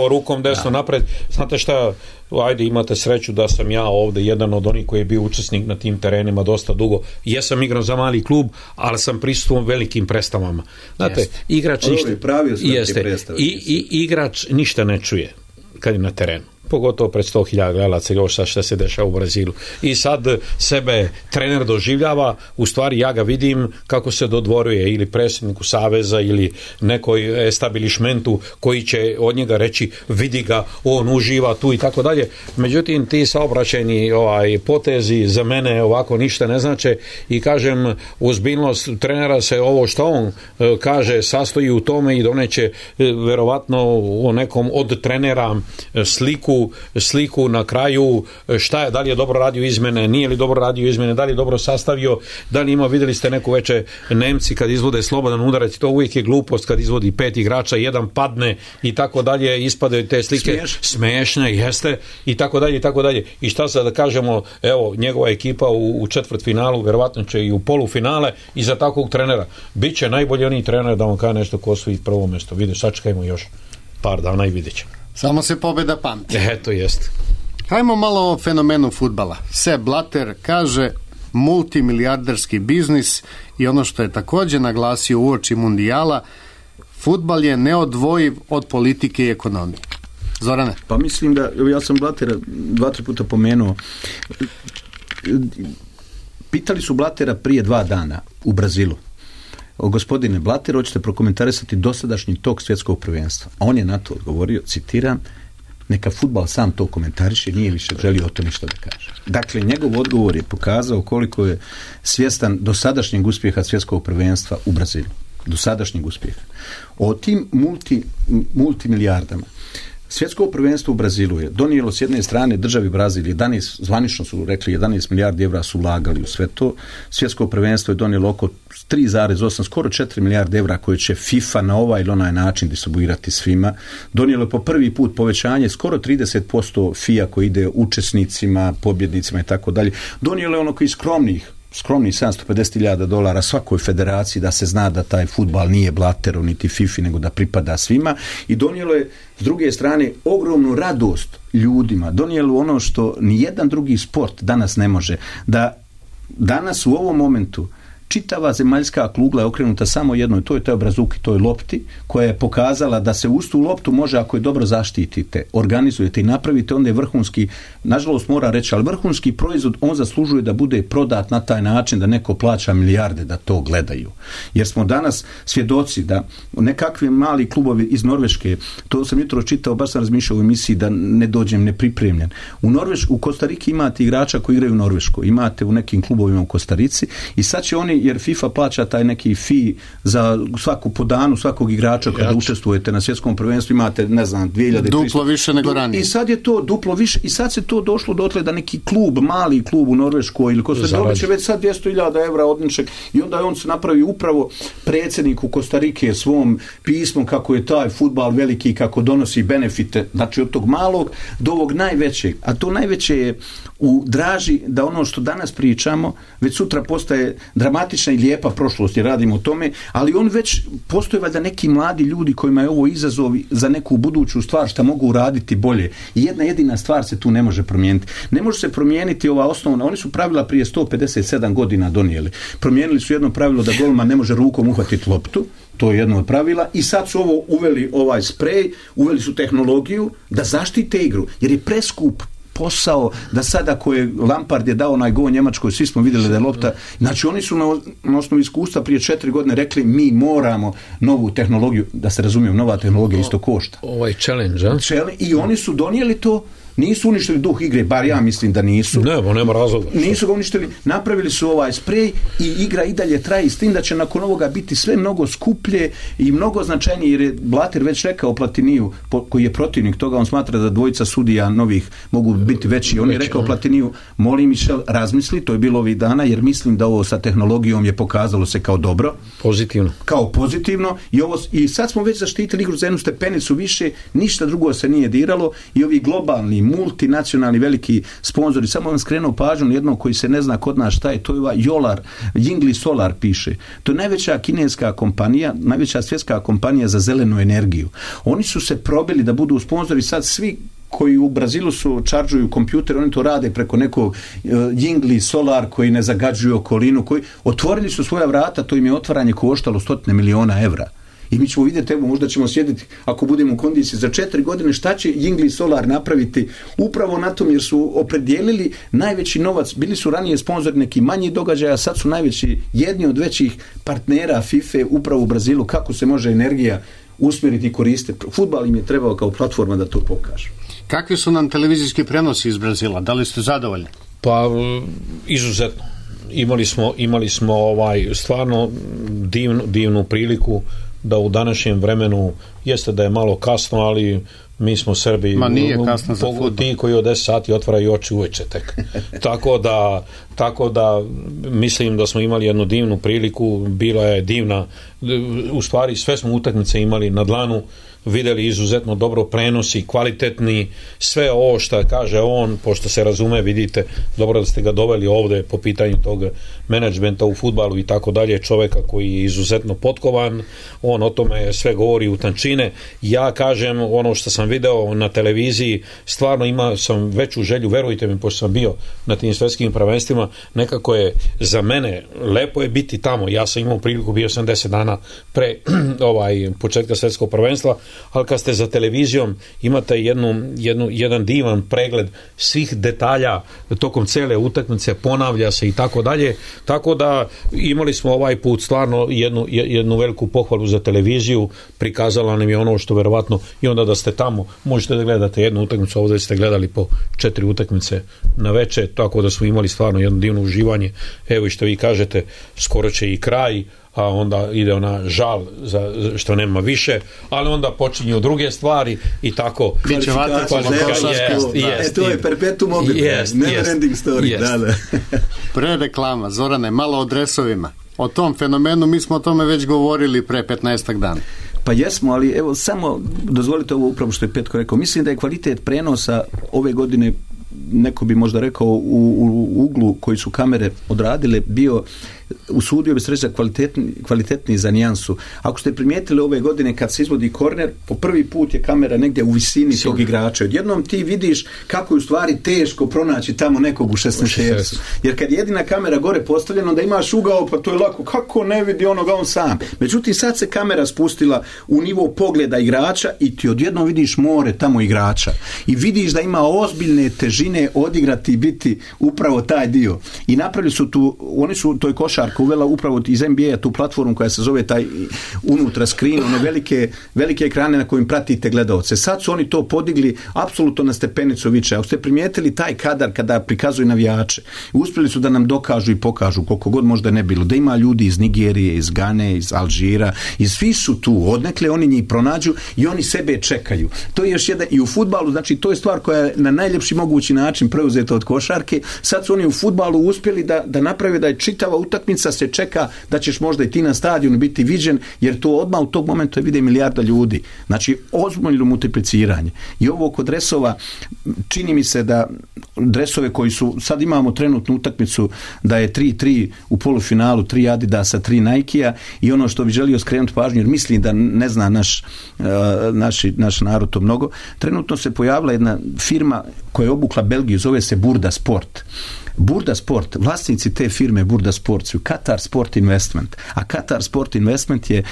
rukom desno napred. Znate šta, ajde, imate sreću da sam ja ovdje jedan od onih koji je bio učesnik na tim terenima dosta dugo. Jesam igrao za mali klub, ali sam prisustuo velikim predstavama. Znate, igrač igrač ništa ne čuje kad je na terenu, pogotovo pred 100.000 gledalaca, još sad što se dešava u Brazilu. I sad sebe trener doživljava, u stvari ja ga vidim kako se dodvoruje ili predsjedniku saveza ili nekoj establishmentu koji će od njega reći vidi ga, on uživa tu i tako dalje. Međutim, ti saobraćajni potezi za mene ovako ništa ne znače i kažem, ozbiljnost trenera se ovo što on kaže sastoji u tome i doneće verovatno o nekom od trenera sliku na kraju, šta je, da li je dobro radio izmene, nije li dobro radio izmene, da li je dobro sastavio, da li ima, vidjeli ste neku veče Nemci kad izvode slobodan udarac, to uvijek je glupost kad izvodi 5 igrača, jedan padne i tako dalje, ispadaju te slike smiješne, jeste, i tako dalje i tako dalje. I šta sad da kažemo, evo, njegova ekipa u četvrtfinalu, verovatno će i u polufinale, i za takvog trenera biće najbolji oni trener da vam kaže nešto ko osvoji prvo mjesto. Vidite, sačekajmo još par dana i vidjet ćemo. Samo se pobjeda pamti. To jest. Hajmo malo o fenomenu fudbala. Sepp Blatter kaže multimilijarderski biznis, i ono što je također naglasio uoči mundijala, fudbal je neodvojiv od politike i ekonomije. Zorane? Pa mislim da, ja sam Blattera 2-3 puta pomenuo. Pitali su Blattera prije 2 dana u Brazilu: gospodine Blatter, hoćete prokomentarisati dosadašnji tok svjetskog prvenstva? A on je na to odgovorio, citiram, neka fudbal sam to komentariše, nije više želio o to ništa da kaže. Dakle, njegov odgovor je pokazao koliko je svjestan dosadašnjeg uspjeha svjetskog prvenstva u Brazilu. Dosadašnjeg uspjeha. O tim multimilijardama. Svjetsko prvenstvo u Brazilu je donijelo s jedne strane državi Brazil 11, zvanično su rekli 11 milijardi evra su ulagali u sve to. Svjetsko prvenstvo je donijelo oko 3,8, skoro 4 milijarde evra koje će FIFA na ovaj ili onaj način distribuirati svima. Donijelo je po prvi put povećanje skoro 30% FIA koji ide učesnicima, pobjednicima i tako dalje. Donijelo je ono koji skromnih $750,000 svakoj federaciji da se zna da taj fudbal nije Blatterov niti FIFA, nego da pripada svima, i donijelo je s druge strane ogromnu radost ljudima, donijelo ono što nijedan drugi sport danas ne može, da danas u ovom momentu čitava zemaljska kugla je okrenuta samo jednoj, to je toj brazuki, toj lopti, koja je pokazala da se uz tu loptu može, ako je dobro zaštitite, organizujete i napravite, onda je vrhunski, nažalost mora reći, ali vrhunski proizvod, on zaslužuje da bude prodat na taj način da neko plaća milijarde da to gledaju. Jer smo danas svjedoci da nekakvi mali klubovi iz Norveške, to sam jutro čitao, baš sam razmišljao u emisiji da ne dođem nepripremljen. U Kostariki imate igrača koji igraju u Norveškoj, imate u nekim klubovima u Kostarici, i sad će oni, jer FIFA plaća taj neki fee za svaku po danu svakog igrača kada učestvujete na svjetskom prvenstvu, imate, ne znam, 2300. Duplo više nego ranije. I sad je to duplo više, i sad se to došlo dotle da neki klub, mali klub u Norveškoj ili Kostariki će već sad 200,000 evra odniček, i onda on se napravi upravo predsjedniku Kostarike svom pismom kako je taj fudbal veliki, kako donosi benefite, znači od tog malog do ovog najvećeg, a to najveće je u draži da ono što danas pričamo već sutra postaje dramatična i lijepa prošlost, jer radimo o tome, ali on već postoje valjda neki mladi ljudi kojima je ovo izazov za neku buduću stvar šta mogu uraditi bolje. I jedna jedina stvar se tu ne može promijeniti. Ne može se promijeniti ova osnovna, oni su pravila prije 157 godina donijeli. Promijenili su jedno pravilo da golman ne može rukom uhvatiti loptu, to je jedno od pravila, i sad su ovo uveli ovaj sprej, uveli su tehnologiju da zaštite igru, jer je preskup posao, da sada ako je Lampard je dao onaj gol Njemačkoj, svi smo vidjeli da je lopta, znači oni su na osnovu iskustva prije 4 godine rekli mi moramo novu tehnologiju, da se razumijem, nova tehnologija isto košta. Ovaj challenge, a? I oni su donijeli to, nisu uništili duh igre, bar ja mislim da nisu. Nema razloga. Nisu ga uništili, napravili su ovaj sprej i igra i dalje traje, s tim da će nakon ovoga biti sve mnogo skuplje i mnogo značajnije, jer je Blatter već rekao Platiniju, koji je protivnik toga, on smatra da dvojica sudija novih mogu biti veći. On je rekao Platiniju, molim Michel, razmisli, to je bilo ovih dana, jer mislim da ovo sa tehnologijom je pokazalo se kao dobro. Pozitivno. Kao pozitivno i sad smo već zaštitili igru za jednu stepenicu više, ništa drugo se nije diralo i ovi globalni multinacionalni veliki sponzori, samo vam skrenuo pažnju jednog koji se ne zna kod nas šta je, to je ovaj Jolar, Yingli Solar piše. To je najveća kineska kompanija, najveća svjetska kompanija za zelenu energiju. Oni su se probili da budu sponzori, sad svi koji u Brazilu su čaržuju kompjuter, oni to rade preko nekog Yingli Solar koji ne zagađuju okolinu, koji otvorili su svoja vrata, to im je otvaranje koštalo 100 miliona evra. I mi ćemo vidjeti, evo, možda ćemo sjediti, ako budemo u kondiciji za 4 godine, šta će Yingli Solar napraviti upravo na tom, jer su opredijelili najveći novac, bili su ranije sponzori neki manji događaja, sad su najveći, jedni od većih partnera FIFA upravo u Brazilu, kako se može energija usmjeriti i koristiti. Fudbal im je trebao kao platforma da to pokaže. Kakvi su nam televizijski prenosi iz Brazila? Da li ste zadovoljni? Pa, izuzetno. Imali smo stvarno divnu priliku da u današnjem vremenu, jeste da je malo kasno, ali mi smo Srbi, ti koji od 10 sati otvaraju oči uveče tek. Tako da mislim da smo imali jednu divnu priliku, bila je divna, u stvari sve smo utakmice imali na dlanu, vidjeli izuzetno dobro prenosi, kvalitetni, sve ovo što kaže on, pošto se razume, vidite, dobro da ste ga doveli ovdje po pitanju tog menadžmenta u fudbalu i tako dalje, čovjeka koji je izuzetno potkovan, on o tome sve govori u tančine. Ja kažem, ono što sam video na televiziji, stvarno imao sam veću želju, verujte mi, pošto sam bio na tim svjetskim prvenstvima, nekako je za mene, lepo je biti tamo, ja sam imao priliku, bio sam 10 dana pre početka svjetskog prvenstva, ali kad ste za televizijom imate jedan divan pregled svih detalja tokom cele utakmice, ponavlja se i tako dalje, tako da imali smo ovaj put stvarno jednu veliku pohvalu za televiziju, prikazala nam je ono što verovatno, i onda da ste tamo možete da gledate jednu utakmicu, ovdje ste gledali po 4 utakmice na veče, tako da smo imali stvarno jedno divno uživanje. Evo i što vi kažete, skoro će i kraj, a onda ide ona žal što nema više, ali onda počinju druge stvari i tako. To je perpetuum mobile, never ending story. Pre reklama, Zorane, malo o dresovima. O tom fenomenu, mi smo o tome već govorili pre 15 dana. Pa jesmo, ali evo samo dozvolite ovo upravo što je Petko rekao. Mislim da je kvalitet prenosa ove godine, neko bi možda rekao u uglu koji su kamere odradile, bio, usudio bi se reći kvalitetniji za nijansu. Ako ste primijetili ove godine kad se izvodi korner, po prvi put je kamera negdje u visini tog igrača. Odjednom ti vidiš kako je u stvari teško pronaći tamo nekog u 16. Jer kad je jedina kamera gore postavljena, onda imaš ugao, pa to je lako, kako ne vidi onoga on sam. Međutim, sad se kamera spustila u nivo pogleda igrača i ti odjednom vidiš more tamo igrača. I vidiš da ima ozbiljne težine odigrati i biti upravo taj dio. I napravili su tu, oni su, to je košarka uvela upravo iz NBA tu platformu koja se zove taj unutra screen, one velike ekrane na kojim pratite gledaoce. Sad su oni to podigli apsolutno na stepenicu više. Ako ste primijetili taj kadar kada prikazuju navijače, uspjeli su da nam dokažu i pokažu koliko god možda ne bilo, da ima ljudi iz Nigerije, iz Gane, iz Alžira, i svi su tu, odnekle oni njih pronađu i oni sebe čekaju. To je još jedan, i u fudbalu, znači to je stvar koja je na najljepši mogući način preuzeta od košarke. Sad su oni u fudbalu uspjeli da naprave da je čitava utakmica se čeka da ćeš možda i ti na stadionu biti viđen, jer to odmah u tog momenta vide milijarda ljudi. Znači, ozbiljno multipliciranje. I ovo kod dresova, čini mi se da dresove koji su, sad imamo trenutnu utakmicu da je 3-3 u polufinalu, 3 Adidasa, 3 Nikea, i ono što bi želio skrenuti pažnju, jer mislim da ne zna naš narod to mnogo, trenutno se pojavila jedna firma koja je obukla Belgiju, zove se Burda Sport. Burda Sport, vlasnici te firme Burda Sport su Qatar Sport Investment, a Qatar Sport Investment je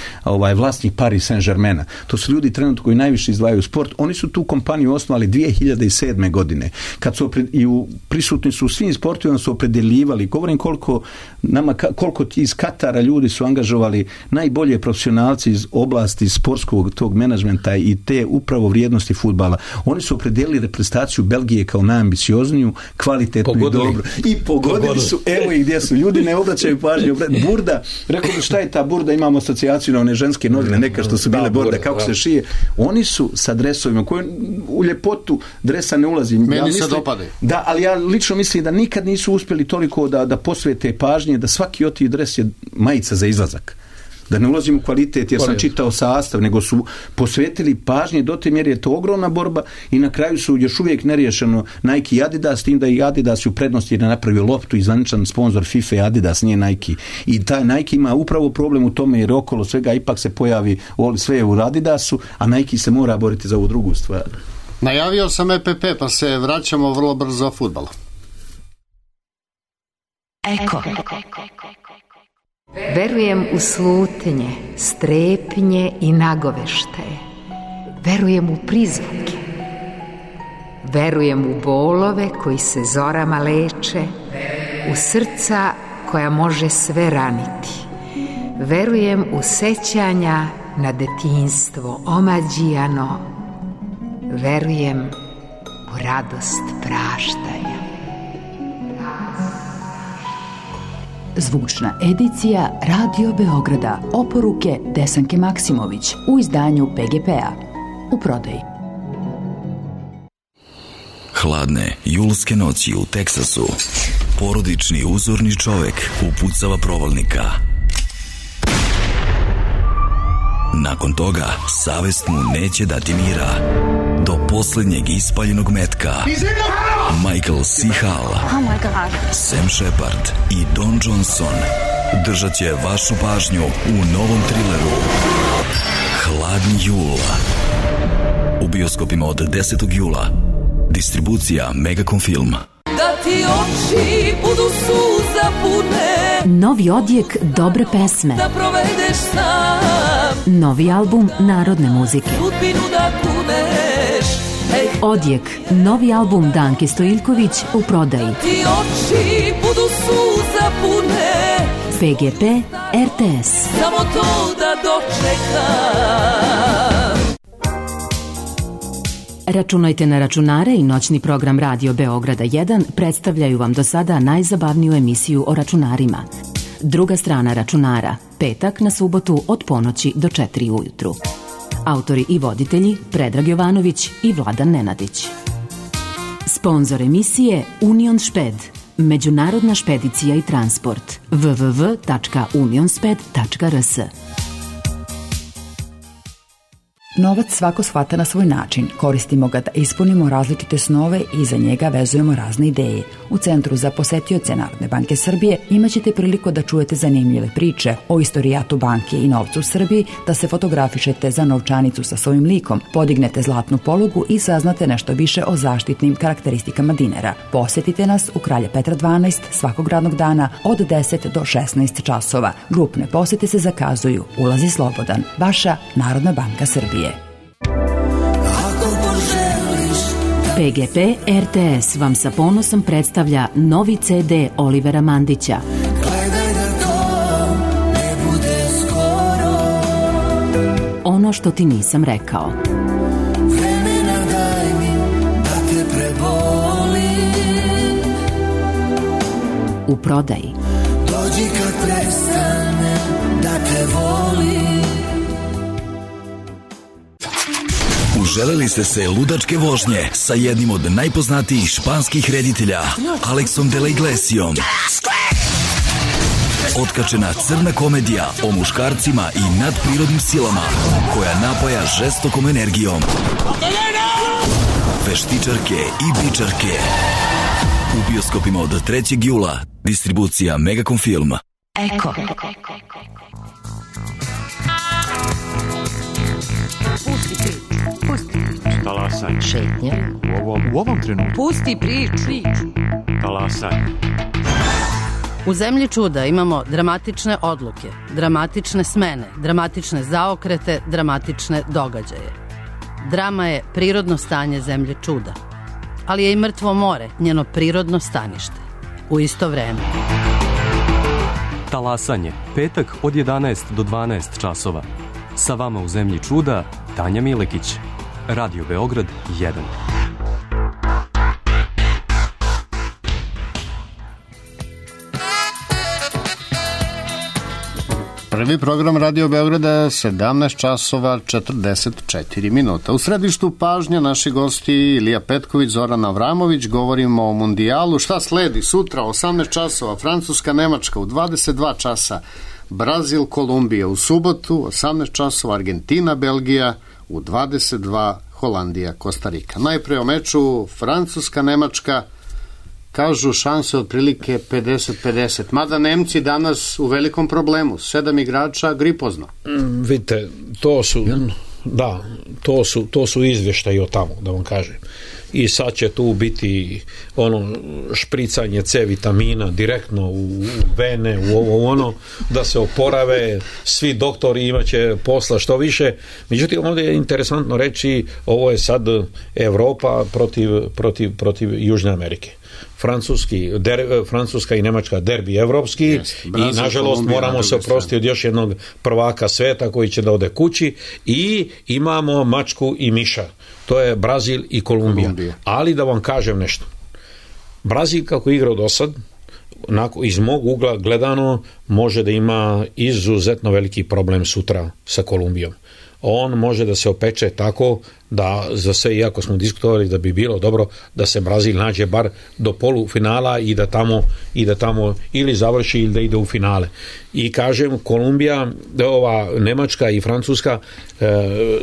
vlasnik Paris Saint-Germaina. To su ljudi trenutno koji najviše izdvajaju sport. Oni su tu kompaniju osnovali 2007. godine. Kad su prisutni su u svim sportovima, su opredeljivali, govorim koliko iz Katara ljudi su angažovali najbolje profesionalci iz oblasti sportskog tog menadžmenta i te upravo vrijednosti fudbala. Oni su opredelili reprezentaciju Belgije kao najambiciozniju, kvalitetnu i dobru. I pogodili su, evo ih gdje su. Ljudi ne obraćaju pažnju. Burda, rekao bi šta je ta burda, imamo asocijaciju na one ženske novine, neka što su bile borde, kako se šije. Oni su sa dresovima, koji u ljepotu dresa ne ulazi. Meni se dopade. Da, ali ja lično mislim da nikad nisu uspjeli toliko da posvete pažnje, da svaki od tih dres je majica za izlazak. Da ne ulazim u kvalitet jer sam čitao sastav, nego su posvetili pažnje, do te mjere je to ogromna borba i na kraju su još uvijek neriješeno Nike i Adidas, s tim da i Adidas u prednosti jer je napravio loptu i zvaničan sponsor FIFA i Adidas, nije Nike. I taj Nike ima upravo problem u tome jer okolo svega ipak se pojavi sve u Adidasu, a Nike se mora boriti za ovu drugu stvar. Najavio sam EPP, pa se vraćamo vrlo brzo fudbalu. Eko. Verujem u slutnje, strepnje i nagoveštaje. Verujem u prizvuke. Verujem u bolove koji se zorama leče, u srca koja može sve raniti. Verujem u sećanja na detinjstvo omađijano. Verujem u radost praštanja. Zvučna edicija Radio Beograda. Oporuke Desanke Maksimović u izdanju PGP-a. U prodaji. Hladne julske noći u Teksasu. Porodični uzorni čovek upucava provalnika. Nakon toga, savest mu neće dati mira. Do posljednjeg ispaljenog metka. Michael C. Hall, Sam Shepard i Don Johnson držat će vašu pažnju u novom trileru Hladni jul. U bioskopima od 10. jula. Distribucija Megacom Film. Da ti oči budu suza pune. Novi odjek dobre pesme. Da provedeš sam. Novi album narodne muzike. Sudbinu da kuneš. Odjek, novi album Danke Stojiljković u prodaji. Da ti oči budu suza pune. PGP RTS. Samo to da dočekam. Računajte na računare i noćni program Radio Beograda 1 predstavljaju vam do sada najzabavniju emisiju o računarima. Druga strana računara, petak na subotu od ponoći do 4 ujutru. Autori i voditelji Predrag Jovanović i Vladan Nenadić. Sponzor emisije Union Šped, međunarodna špedicija i transport. www.unionsped.rs. Novac svako shvata na svoj način. Koristimo ga da ispunimo različite snove i za njega vezujemo razne ideje. U Centru za posetioce Narodne banke Srbije imaćete priliku da čujete zanimljive priče o istorijatu banke i novcu u Srbiji, da se fotografišete za novčanicu sa svojim likom, podignete zlatnu polugu i saznate nešto više o zaštitnim karakteristikama dinara. Posetite nas u Kralja Petra 12 svakog radnog dana od 10 do 16 časova. Grupne posete se zakazuju. Ulaz je slobodan. Vaša Narodna banka Srbije. PGP RTS vam sa ponosom predstavlja novi CD Olivera Mandića. Ono što ti nisam rekao. U prodaji. Dođi kad prestane da te volim. Uželeli ste se ludačke vožnje sa jednim od najpoznatijih španskih reditelja, Alexom de la Iglesiom. Otkačena crna komedija o muškarcima i nadprirodnim silama koja napaja žestokom energijom. Veštičarke i bičarke. U bioskopima od 3. jula. Distribucija Megacom Film. Eko. Talasaj. Šetnja. U ovom trenutku. Pusti priču. Talasaj. U zemlji čuda imamo dramatične odluke, dramatične smene, dramatične zaokrete, dramatične događaje. Drama je prirodno stanje zemlje čuda, ali je i mrtvo more njeno prirodno stanište. U isto vreme. Talasanje, petak od 11 do 12 časova. Sa vama u zemlji čuda, Tanja Milekić. Radio Beograd 1. Prvi program Radio Beograda 17 časova 44 minuta. U središtu pažnja naši gosti Ilija Petković, Zoran Avramović. Govorimo o mundijalu. Šta sledi? Sutra 18 časova Francuska, Nemačka, u 22 časa Brazil, Kolumbija, u subotu 18 časova Argentina, Belgija, u 22 Holandija, Kostarika. Najpre o meču Francuska, Nemačka. Kažu šanse otprilike 50-50. Mada Nemci danas u velikom problemu. 7 igrača gripozno. Vidite, to su izvještaji o tamo, da vam kažem. I sad će tu biti špricanje C vitamina direktno u vene, u ovo da se oporave, svi doktori imaće posla što više. Međutim, ovdje je interesantno reći, ovo je sad Europa protiv Južne Amerike. Francuska i Nemačka derbi evropski i nažalost moramo se oprostiti od još jednog prvaka sveta koji će da ode kući i imamo mačku i miša, to je Brazil i Kolumbija. Ali da vam kažem nešto, Brazil kako igrao do sad, iz mog ugla gledano može da ima izuzetno veliki problem sutra sa Kolumbijom. On može da se opeče tako da za sve, iako smo diskutovali da bi bilo dobro da se Brazil nađe bar do polufinala i da tamo ili završi ili da ide u finale. I kažem, Kolumbija, Nemačka i Francuska,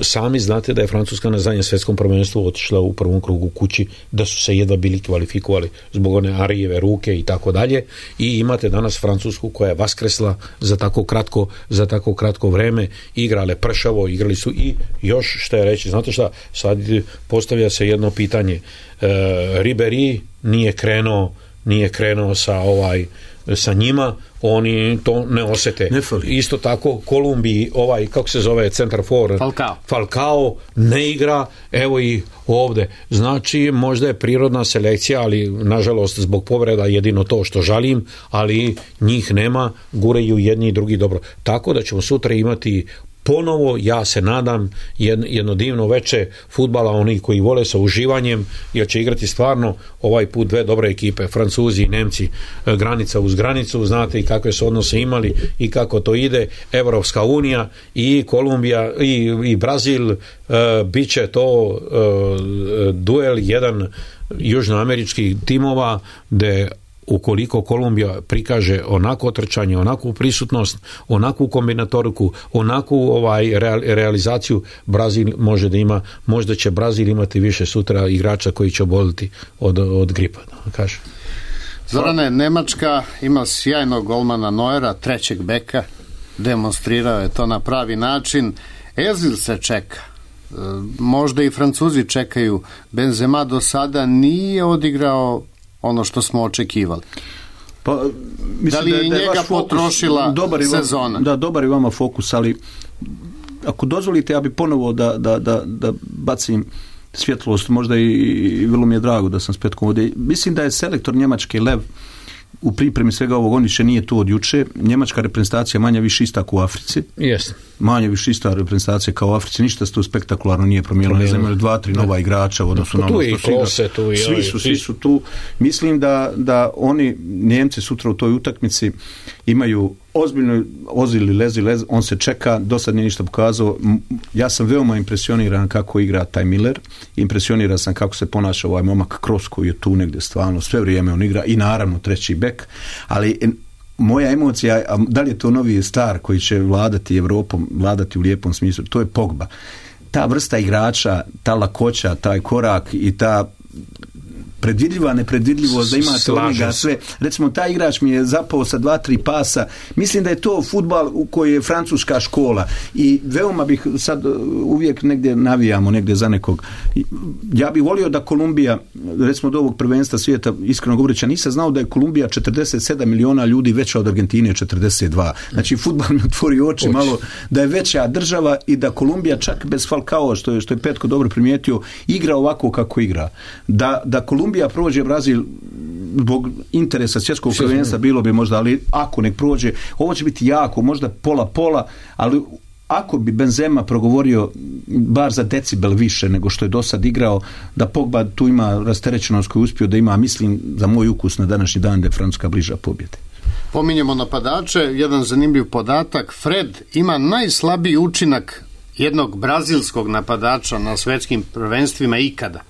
sami znate da je Francuska na zadnjem svjetskom prvenstvu otišla u prvom krugu kući, da su se jedva bili kvalifikovali zbog one Arijeve ruke i tako dalje, i imate danas Francusku koja je vaskresla za tako kratko vreme, igrale pršavo, igrali su i još što je reći, znate šta, sad postavlja se jedno pitanje, Ribéry nije krenuo sa njima, oni to ne osete. Isto tako Kolumbiji, kako se zove centar for Falcao ne igra, evo i ovde. Znači, možda je prirodna selekcija, ali nažalost zbog povreda jedino to što žalim, ali njih nema, gureju jedni i drugi dobro. Tako da ćemo sutra imati ponovo, ja se nadam, jedno divno veče fudbala, oni koji vole sa uživanjem, jer će igrati stvarno ovaj put dve dobre ekipe, Francuzi i Nemci, granica uz granicu, znate i kakve su odnose imali i kako to ide, Evropska unija i Kolumbija i Brazil, bit će to duel jedan južnoameričkih timova, gde ukoliko Kolumbija prikaže onako trčanje, onakvu prisutnost, onakvu kombinatoriku, onakvu realizaciju, Brazil može da ima, možda će Brazil imati više sutra igrača koji će oboliti od gripa, da kažem. Zorane, Nemačka ima sjajnog golmana Neuera, trećeg beka, demonstrirao je to na pravi način. Özil se čeka, možda i Francuzi čekaju. Benzema do sada nije odigrao ono što smo očekivali. Pa, da li je njega potrošila sezona? Da, dobar je vama fokus, ali ako dozvolite, ja bi ponovo da bacim svjetlost, možda i vrlo mi je drago da sam s Petkom ovdje. Mislim da je selektor Njemačke Lev u pripremi svega ovog, on više nije tu od juče. Njemačka reprezentacija manje više ista kao u Africi. Yes. Manje više ista reprezentacija kao u Africi. Ništa se tu spektakularno nije promijenilo. Ne znam, 2-3 nova igrača u odnosu na ono što svi su tu. Mislim da oni, Njemci sutra u toj utakmici imaju ozbiljno ozili lez, on se čeka, do sad nije ništa pokazao. Ja sam veoma impresioniran kako igra taj Miller, impresioniran sam kako se ponaša ovaj momak Kroos koji je tu negdje stvarno, sve vrijeme on igra i naravno treći bek, ali moja emocija, da li je to novi star koji će vladati Evropom, vladati u lijepom smislu, to je Pogba. Ta vrsta igrača, ta lakoća, taj korak i ta predvidljiva nepredvidljivost, da imate od njega sve. Recimo, taj igrač mi je zapao sa 2-3 pasa. Mislim da je to fudbal u kojoj je francuska škola i veoma bih sad uvijek negdje navijamo negdje za nekog. Ja bih volio da Kolumbija, recimo do ovog prvenstva svijeta, iskreno govoreći, nisam znao da je Kolumbija 47 miliona ljudi veća od Argentine 42. Znači, fudbal mi otvori oči malo da je veća država i da Kolumbija čak bez Falcao, što je Petko dobro primijetio, igra ovako kako igra. Da Kolumbija prođe Brazil zbog interesa svjetskog prvenstva bilo bi možda, ali ako nek prođe, ovo će biti jako, možda pola, ali ako bi Benzema progovorio bar za decibel više nego što je do sad igrao, da Pogba tu ima rasterećenost koju uspio da ima, mislim, za moj ukus na današnji dan da je Francuska bliža pobjede. Pominjemo napadače, jedan zanimljiv podatak, Fred ima najslabiji učinak jednog brazilskog napadača na svjetskim prvenstvima ikada.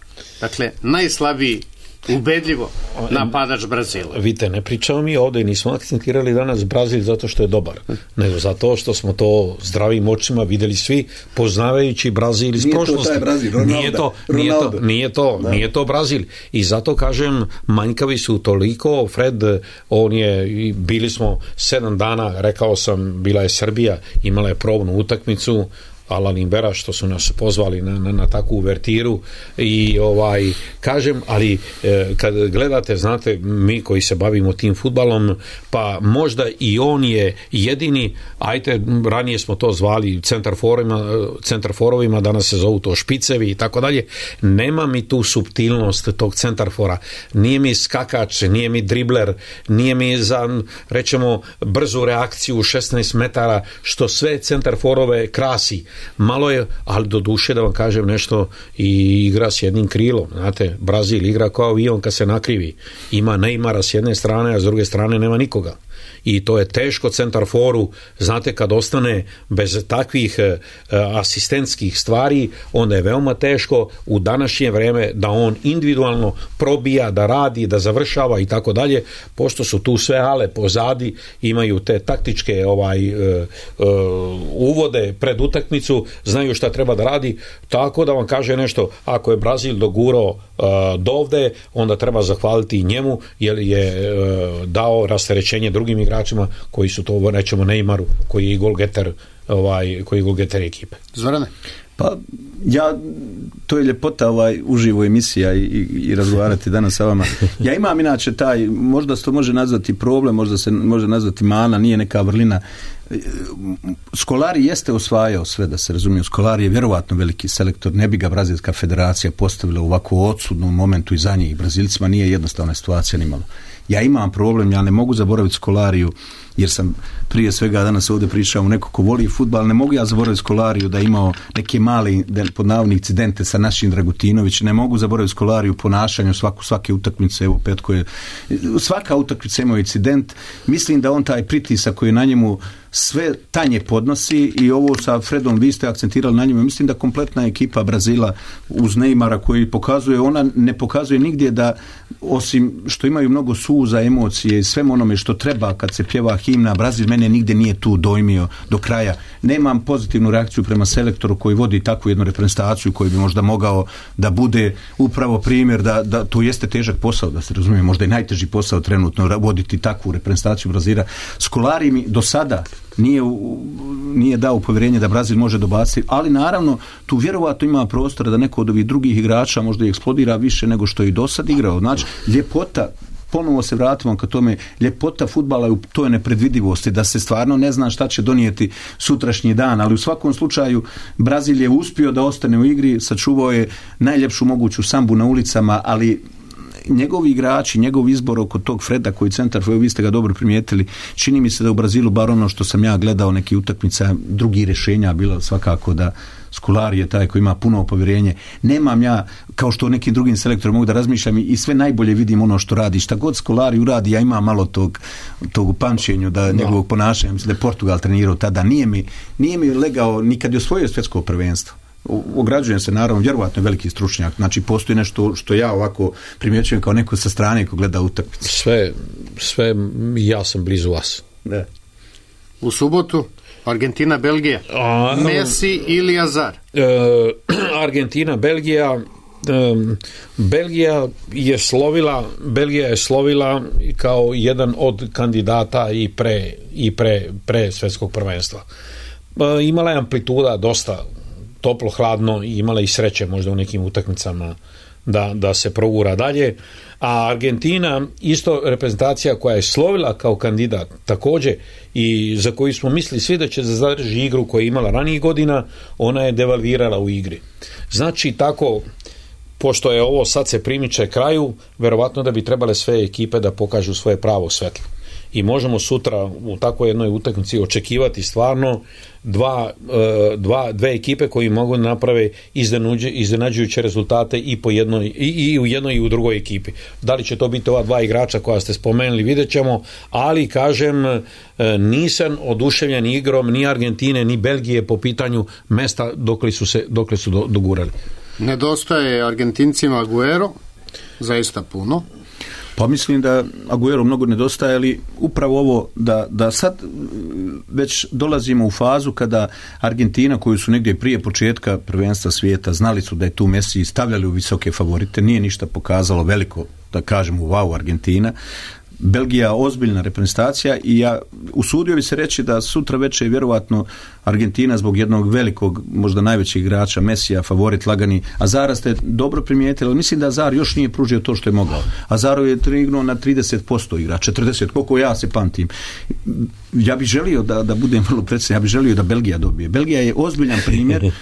Dakle, najslabiji ubedljivo napadač Brazila. Vidite, ne pričamo mi ovdje, nismo akcentirali danas Brazil zato što je dobar, nego zato što smo to zdravim očima vidjeli svi, poznavajući Brazil iz prošlosti. Nije to Brazil. I zato kažem, manjkavi su toliko. Fred, bili smo 7 dana, rekao sam, bila je Srbija, imala je probnu utakmicu, Alan Imbera, što su nas pozvali na takvu uvertiru i kažem, ali kad gledate, znate, mi koji se bavimo tim fudbalom, pa možda i on je jedini, ranije smo to zvali centarforovima, danas se zovu to špicevi i tako dalje, nema mi tu suptilnost tog centarfora, nije mi skakač, nije mi dribler, nije mi za, rećemo, brzu reakciju 16 metara, što sve centarforove krasi. Malo je, ali do duše da vam kažem nešto, i igra s jednim krilom. Znate, Brazil igra kao avion kad se nakrivi. Ima Neymara s jedne strane, a s druge strane nema nikoga. I to je teško centarforu, znate, kad ostane bez takvih asistentskih stvari, onda je veoma teško u današnje vrijeme da on individualno probija, da radi, da završava i tako dalje, pošto su tu sve ale pozadi, imaju te taktičke uvode pred utakmicu, znaju šta treba da radi, tako da vam kaže nešto, ako je Brazil dogurao dovde, onda treba zahvaliti i njemu, jer je dao rasterećenje drugim igračima koji su to, rećemo, Neymaru, koji je golgeter ekipe. Zorane? Pa to je ljepota uživo emisija i razgovarati danas sa vama. Ja imam inače možda se to može nazvati problem, možda se može nazvati mana, nije neka vrlina. Scolari jeste osvajao sve, da se razumije. Scolari je vjerovatno veliki selektor, ne bi ga Brazilska federacija postavila u ovako odsudnom momentu i za njih. Brazilcima nije jednostavna situacija nimalo. Ja imam problem, ja ne mogu zaboraviti Scolariju, jer sam prije svega danas ovdje pričao neko ko voli fudbal, ne mogu ja zaboraviti Scolariju da je imao neke mali, pod navodnih, incidente sa našim Dragutinović, ne mogu zaboraviti Scolariju ponašanju svake utakmice, evo Petko je, svaka utakmica imao incident, mislim da on taj pritisak koji je na njemu sve tanje podnosi, i ovo sa Fredom vi ste akcentirali na njemu, mislim da kompletna ekipa Brazila uz Neymara koji pokazuje, ona ne pokazuje nigdje da, osim što imaju mnogo suza, emocije i svem onome što treba kad se pjeva himna, Brazil mene nigdje nije tu dojmio do kraja. Nemam pozitivnu reakciju prema selektoru koji vodi takvu jednu reprezentaciju koji bi možda mogao da bude upravo primjer da to jeste težak posao, da se razumije, možda i najteži posao trenutno voditi takvu reprezentaciju Brazila. Scolari mi do sada nije dao povjerenje da Brazil može dobaciti, ali naravno tu vjerovatno ima prostora da neko od ovih drugih igrača možda i eksplodira više nego što je i do sad igrao. Znači, ljepota, ponovo se vratimo ka tome, ljepota fudbala je u toj nepredvidivosti, da se stvarno ne zna šta će donijeti sutrašnji dan, ali u svakom slučaju Brazil je uspio da ostane u igri, sačuvao je najljepšu moguću sambu na ulicama, ali njegovi igrači, njegov izbor oko tog Freda koji centar, vi ste ga dobro primijetili, čini mi se da u Brazilu, bar ono što sam ja gledao neki utakmica, drugih rješenja bilo svakako da Scolari je taj koji ima puno povjerenje. Nemam ja, kao što nekim drugim selektorom mogu da razmišljam i sve najbolje vidim ono što radi. Šta god Scolari uradi, ja imam malo tog u pamćenju da njegovog ponašanja, mislim da je Portugal trenirao tada, nije mi legao nikad je osvojio svjetsko prvenstvo. Ograđujem se, naravno, vjerovatno je veliki stručnjak, znači postoji nešto što ja ovako primjećujem kao neko sa strane ko gleda utakmicu. Sve ja sam blizu vas. Ne. U subotu Argentina, Belgija. Messi ili Azar? Argentina, Belgija, Belgija je slovila kao jedan od kandidata i pre svjetskog prvenstva. Imala je amplituda dosta toplo, hladno i imala i sreće možda u nekim utakmicama da se progura dalje, a Argentina isto reprezentacija koja je slovila kao kandidat također i za koju smo mislili svi da će zadrži igru koju je imala ranijih godina, ona je devalvirala u igri. Znači tako, pošto je ovo sad se primiče kraju, verovatno da bi trebale sve ekipe da pokažu svoje pravo svetlo. I možemo sutra u takvoj jednoj utakmici očekivati stvarno dve ekipe koji mogu naprave iznenađujuće rezultate i u jednoj i u drugoj ekipi. Da li će to biti ova dva igrača koja ste spomenuli, vidjet ćemo, ali kažem, nisam oduševljen igrom ni Argentine ni Belgije po pitanju mesta dokle su dogurali. Nedostaje Argentincima Aguero, zaista puno. Pa mislim da Aguero mnogo nedostaje, ali upravo ovo da sad već dolazimo u fazu kada Argentina, koju su negdje prije početka prvenstva svijeta znali su da je tu Messi, stavljali u visoke favorite, nije ništa pokazalo veliko, da kažemo wow Argentina. Belgija ozbiljna reprezentacija i ja usudio bi se reći da sutra večer je vjerovatno Argentina zbog jednog velikog, možda najvećeg igrača Mesija, favorit lagani. Azara ste dobro primijetili, ali mislim da Azar još nije pružio to što je mogao. Azaro je trignuo na 30% igra, 40%, koliko ja se pamtim. Ja bih želio da budem vrlo precizan, ja bih želio da Belgija dobije. Belgija je ozbiljan primjer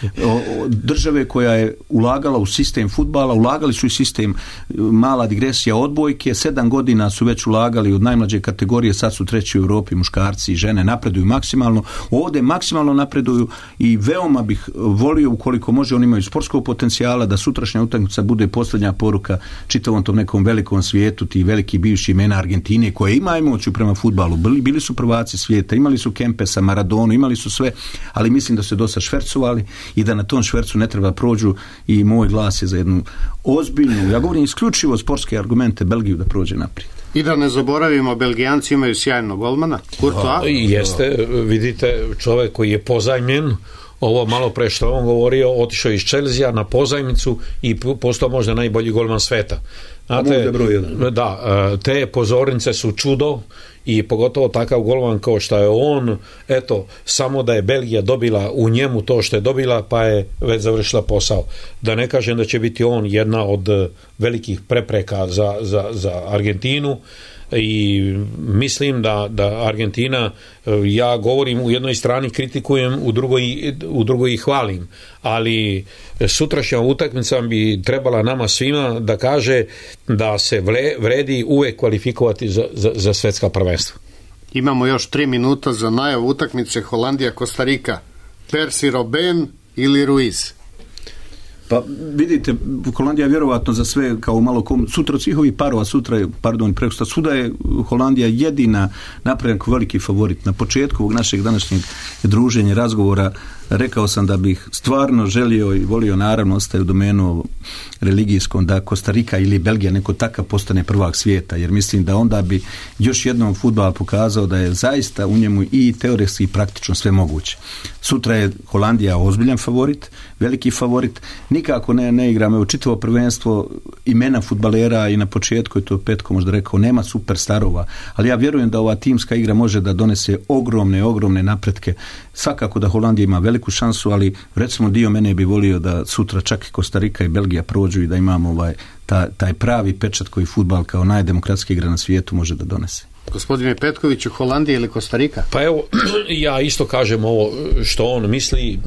države koja je ulagala u sistem fudbala, ulagali su i sistem, mala digresija, odbojke, 7 godina su već ulagali od najmlađe kategorije, sad su treći u Europi, muškarci i žene napreduju maksimalno, ovdje maksimalno napreduju i veoma bih volio, ukoliko može, oni imaju sportskog potencijala, da sutrašnja utakmica bude posljednja poruka čitavom tom nekom velikom svijetu, ti veliki bivši imena Argentine koje ima emociju prema fudbalu, bili su prvaci svijeta, imali su Kempesa, Maradonu, imali su sve, ali mislim da su dosta švercovali i da na tom švercu ne treba prođu i moj glas je za jednu ozbiljnu, ja govorim isključivo sportske argumente, Belgiju da prođe naprijed. I da ne zaboravimo, Belgijanci imaju sjajnog golmana, Courtois. Jeste, vidite, čovjek koji je pozajmljen, ovo malo pre što on govorio, otišao iz Chelsea na pozajmicu i postao možda najbolji golman sveta. Znate, te pozornice su čudo i pogotovo takav golman kao što je on, eto, samo da je Belgija dobila u njemu to što je dobila, pa je već završila posao. Da ne kažem da će biti on jedna od velikih prepreka za Argentinu i mislim da Argentina, ja govorim u jednoj strani kritikujem, u drugoj ih hvalim, ali sutrašnja utakmica bi trebala nama svima da kaže da se vredi uvek kvalifikovati za svjetska prvenstva. Imamo još 3 minuta za najavu utakmice Holandija-Kostarika. Percy Robben ili Ruiz? Pa vidite, Holandija je vjerovatno za sve kao malo sutra od svih ovih parova, prekosutra, svuda je Holandija jedina napravljen kao veliki favorit. Na početku ovog našeg današnjeg druženja, razgovora, rekao sam da bih stvarno želio i volio, naravno ostaje u domenu religijskom, da Kostarika ili Belgija neko takav postane prvak svijeta, jer mislim da onda bi još jednom fudbal pokazao da je zaista u njemu i teoretski i praktično sve moguće. Sutra je Holandija ozbiljan favorit, veliki favorit, nikako ne igra, evo čitavo prvenstvo imena fudbalera i na početku je to Petko možda rekao, nema superstarova, ali ja vjerujem da ova timska igra može da donese ogromne napretke. Svakako da Holandija ima veliku šansu, ali recimo dio mene bi volio da sutra čak i Kostarika i Belgija prođu i da imamo taj pravi pečat koji fudbal kao najdemokratska igra na svijetu može da donese. Gospodine Petkoviću, Holandija ili Kostarika? Pa evo, ja isto kažem ovo što on misli,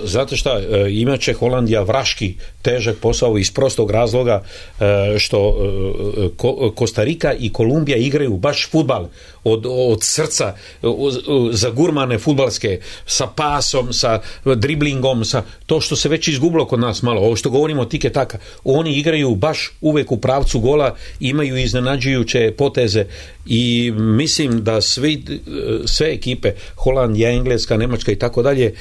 zato što imaće Holandija vraški težak posao iz prostog razloga što Kostarika i Kolumbija igraju baš fudbal od srca, za gurmane fudbalske, sa pasom, sa driblingom, sa to što se već izgubilo kod nas malo, ovo što govorimo tike taka, oni igraju baš uvek u pravcu gola, imaju iznenađujuće poteze i mislim da sve ekipe, Holandija, Engleska, Nemačka i tako dalje,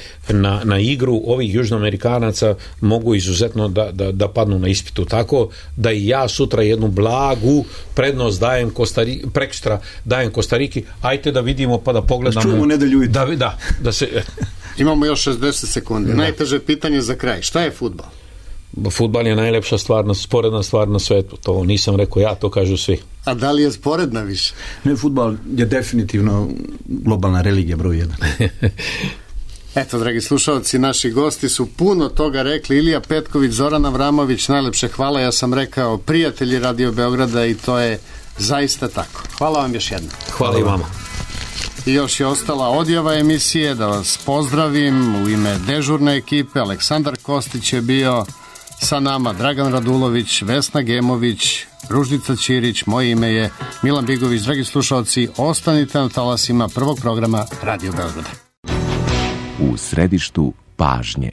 na igru ovih južnoamerikanaca mogu izuzetno da padnu na ispitu, tako da i ja sutra jednu blagu prednost dajem prekstra dajem Kostariki, ajte da vidimo pa da pogledamo. Čujemo nedelju i da se... Imamo još 60 sekundi. Najteže pitanje za kraj. Šta je fudbal? Fudbal je najlepša stvar, sporedna stvar na svetu. To nisam rekao ja, to kažu svi. A da li je sporedna više? Ne, fudbal je definitivno globalna religija broj 1. Eto, dragi slušalci, naši gosti su puno toga rekli. Ilija Petković, Zoran Avramović, najlepše hvala. Ja sam rekao prijatelji Radio Beograda i to je zaista tako. Hvala vam još jednom. Hvala i vama. I još je ostala odjava emisije, da vas pozdravim u ime dežurne ekipe. Aleksandar Kostić je bio sa nama, Dragan Radulović, Vesna Gemović, Ruždica Ćirić, moje ime je Milan Bigović. Dragi slušalci, ostanite na talasima prvog programa Radio Beograda. U središtu pažnje.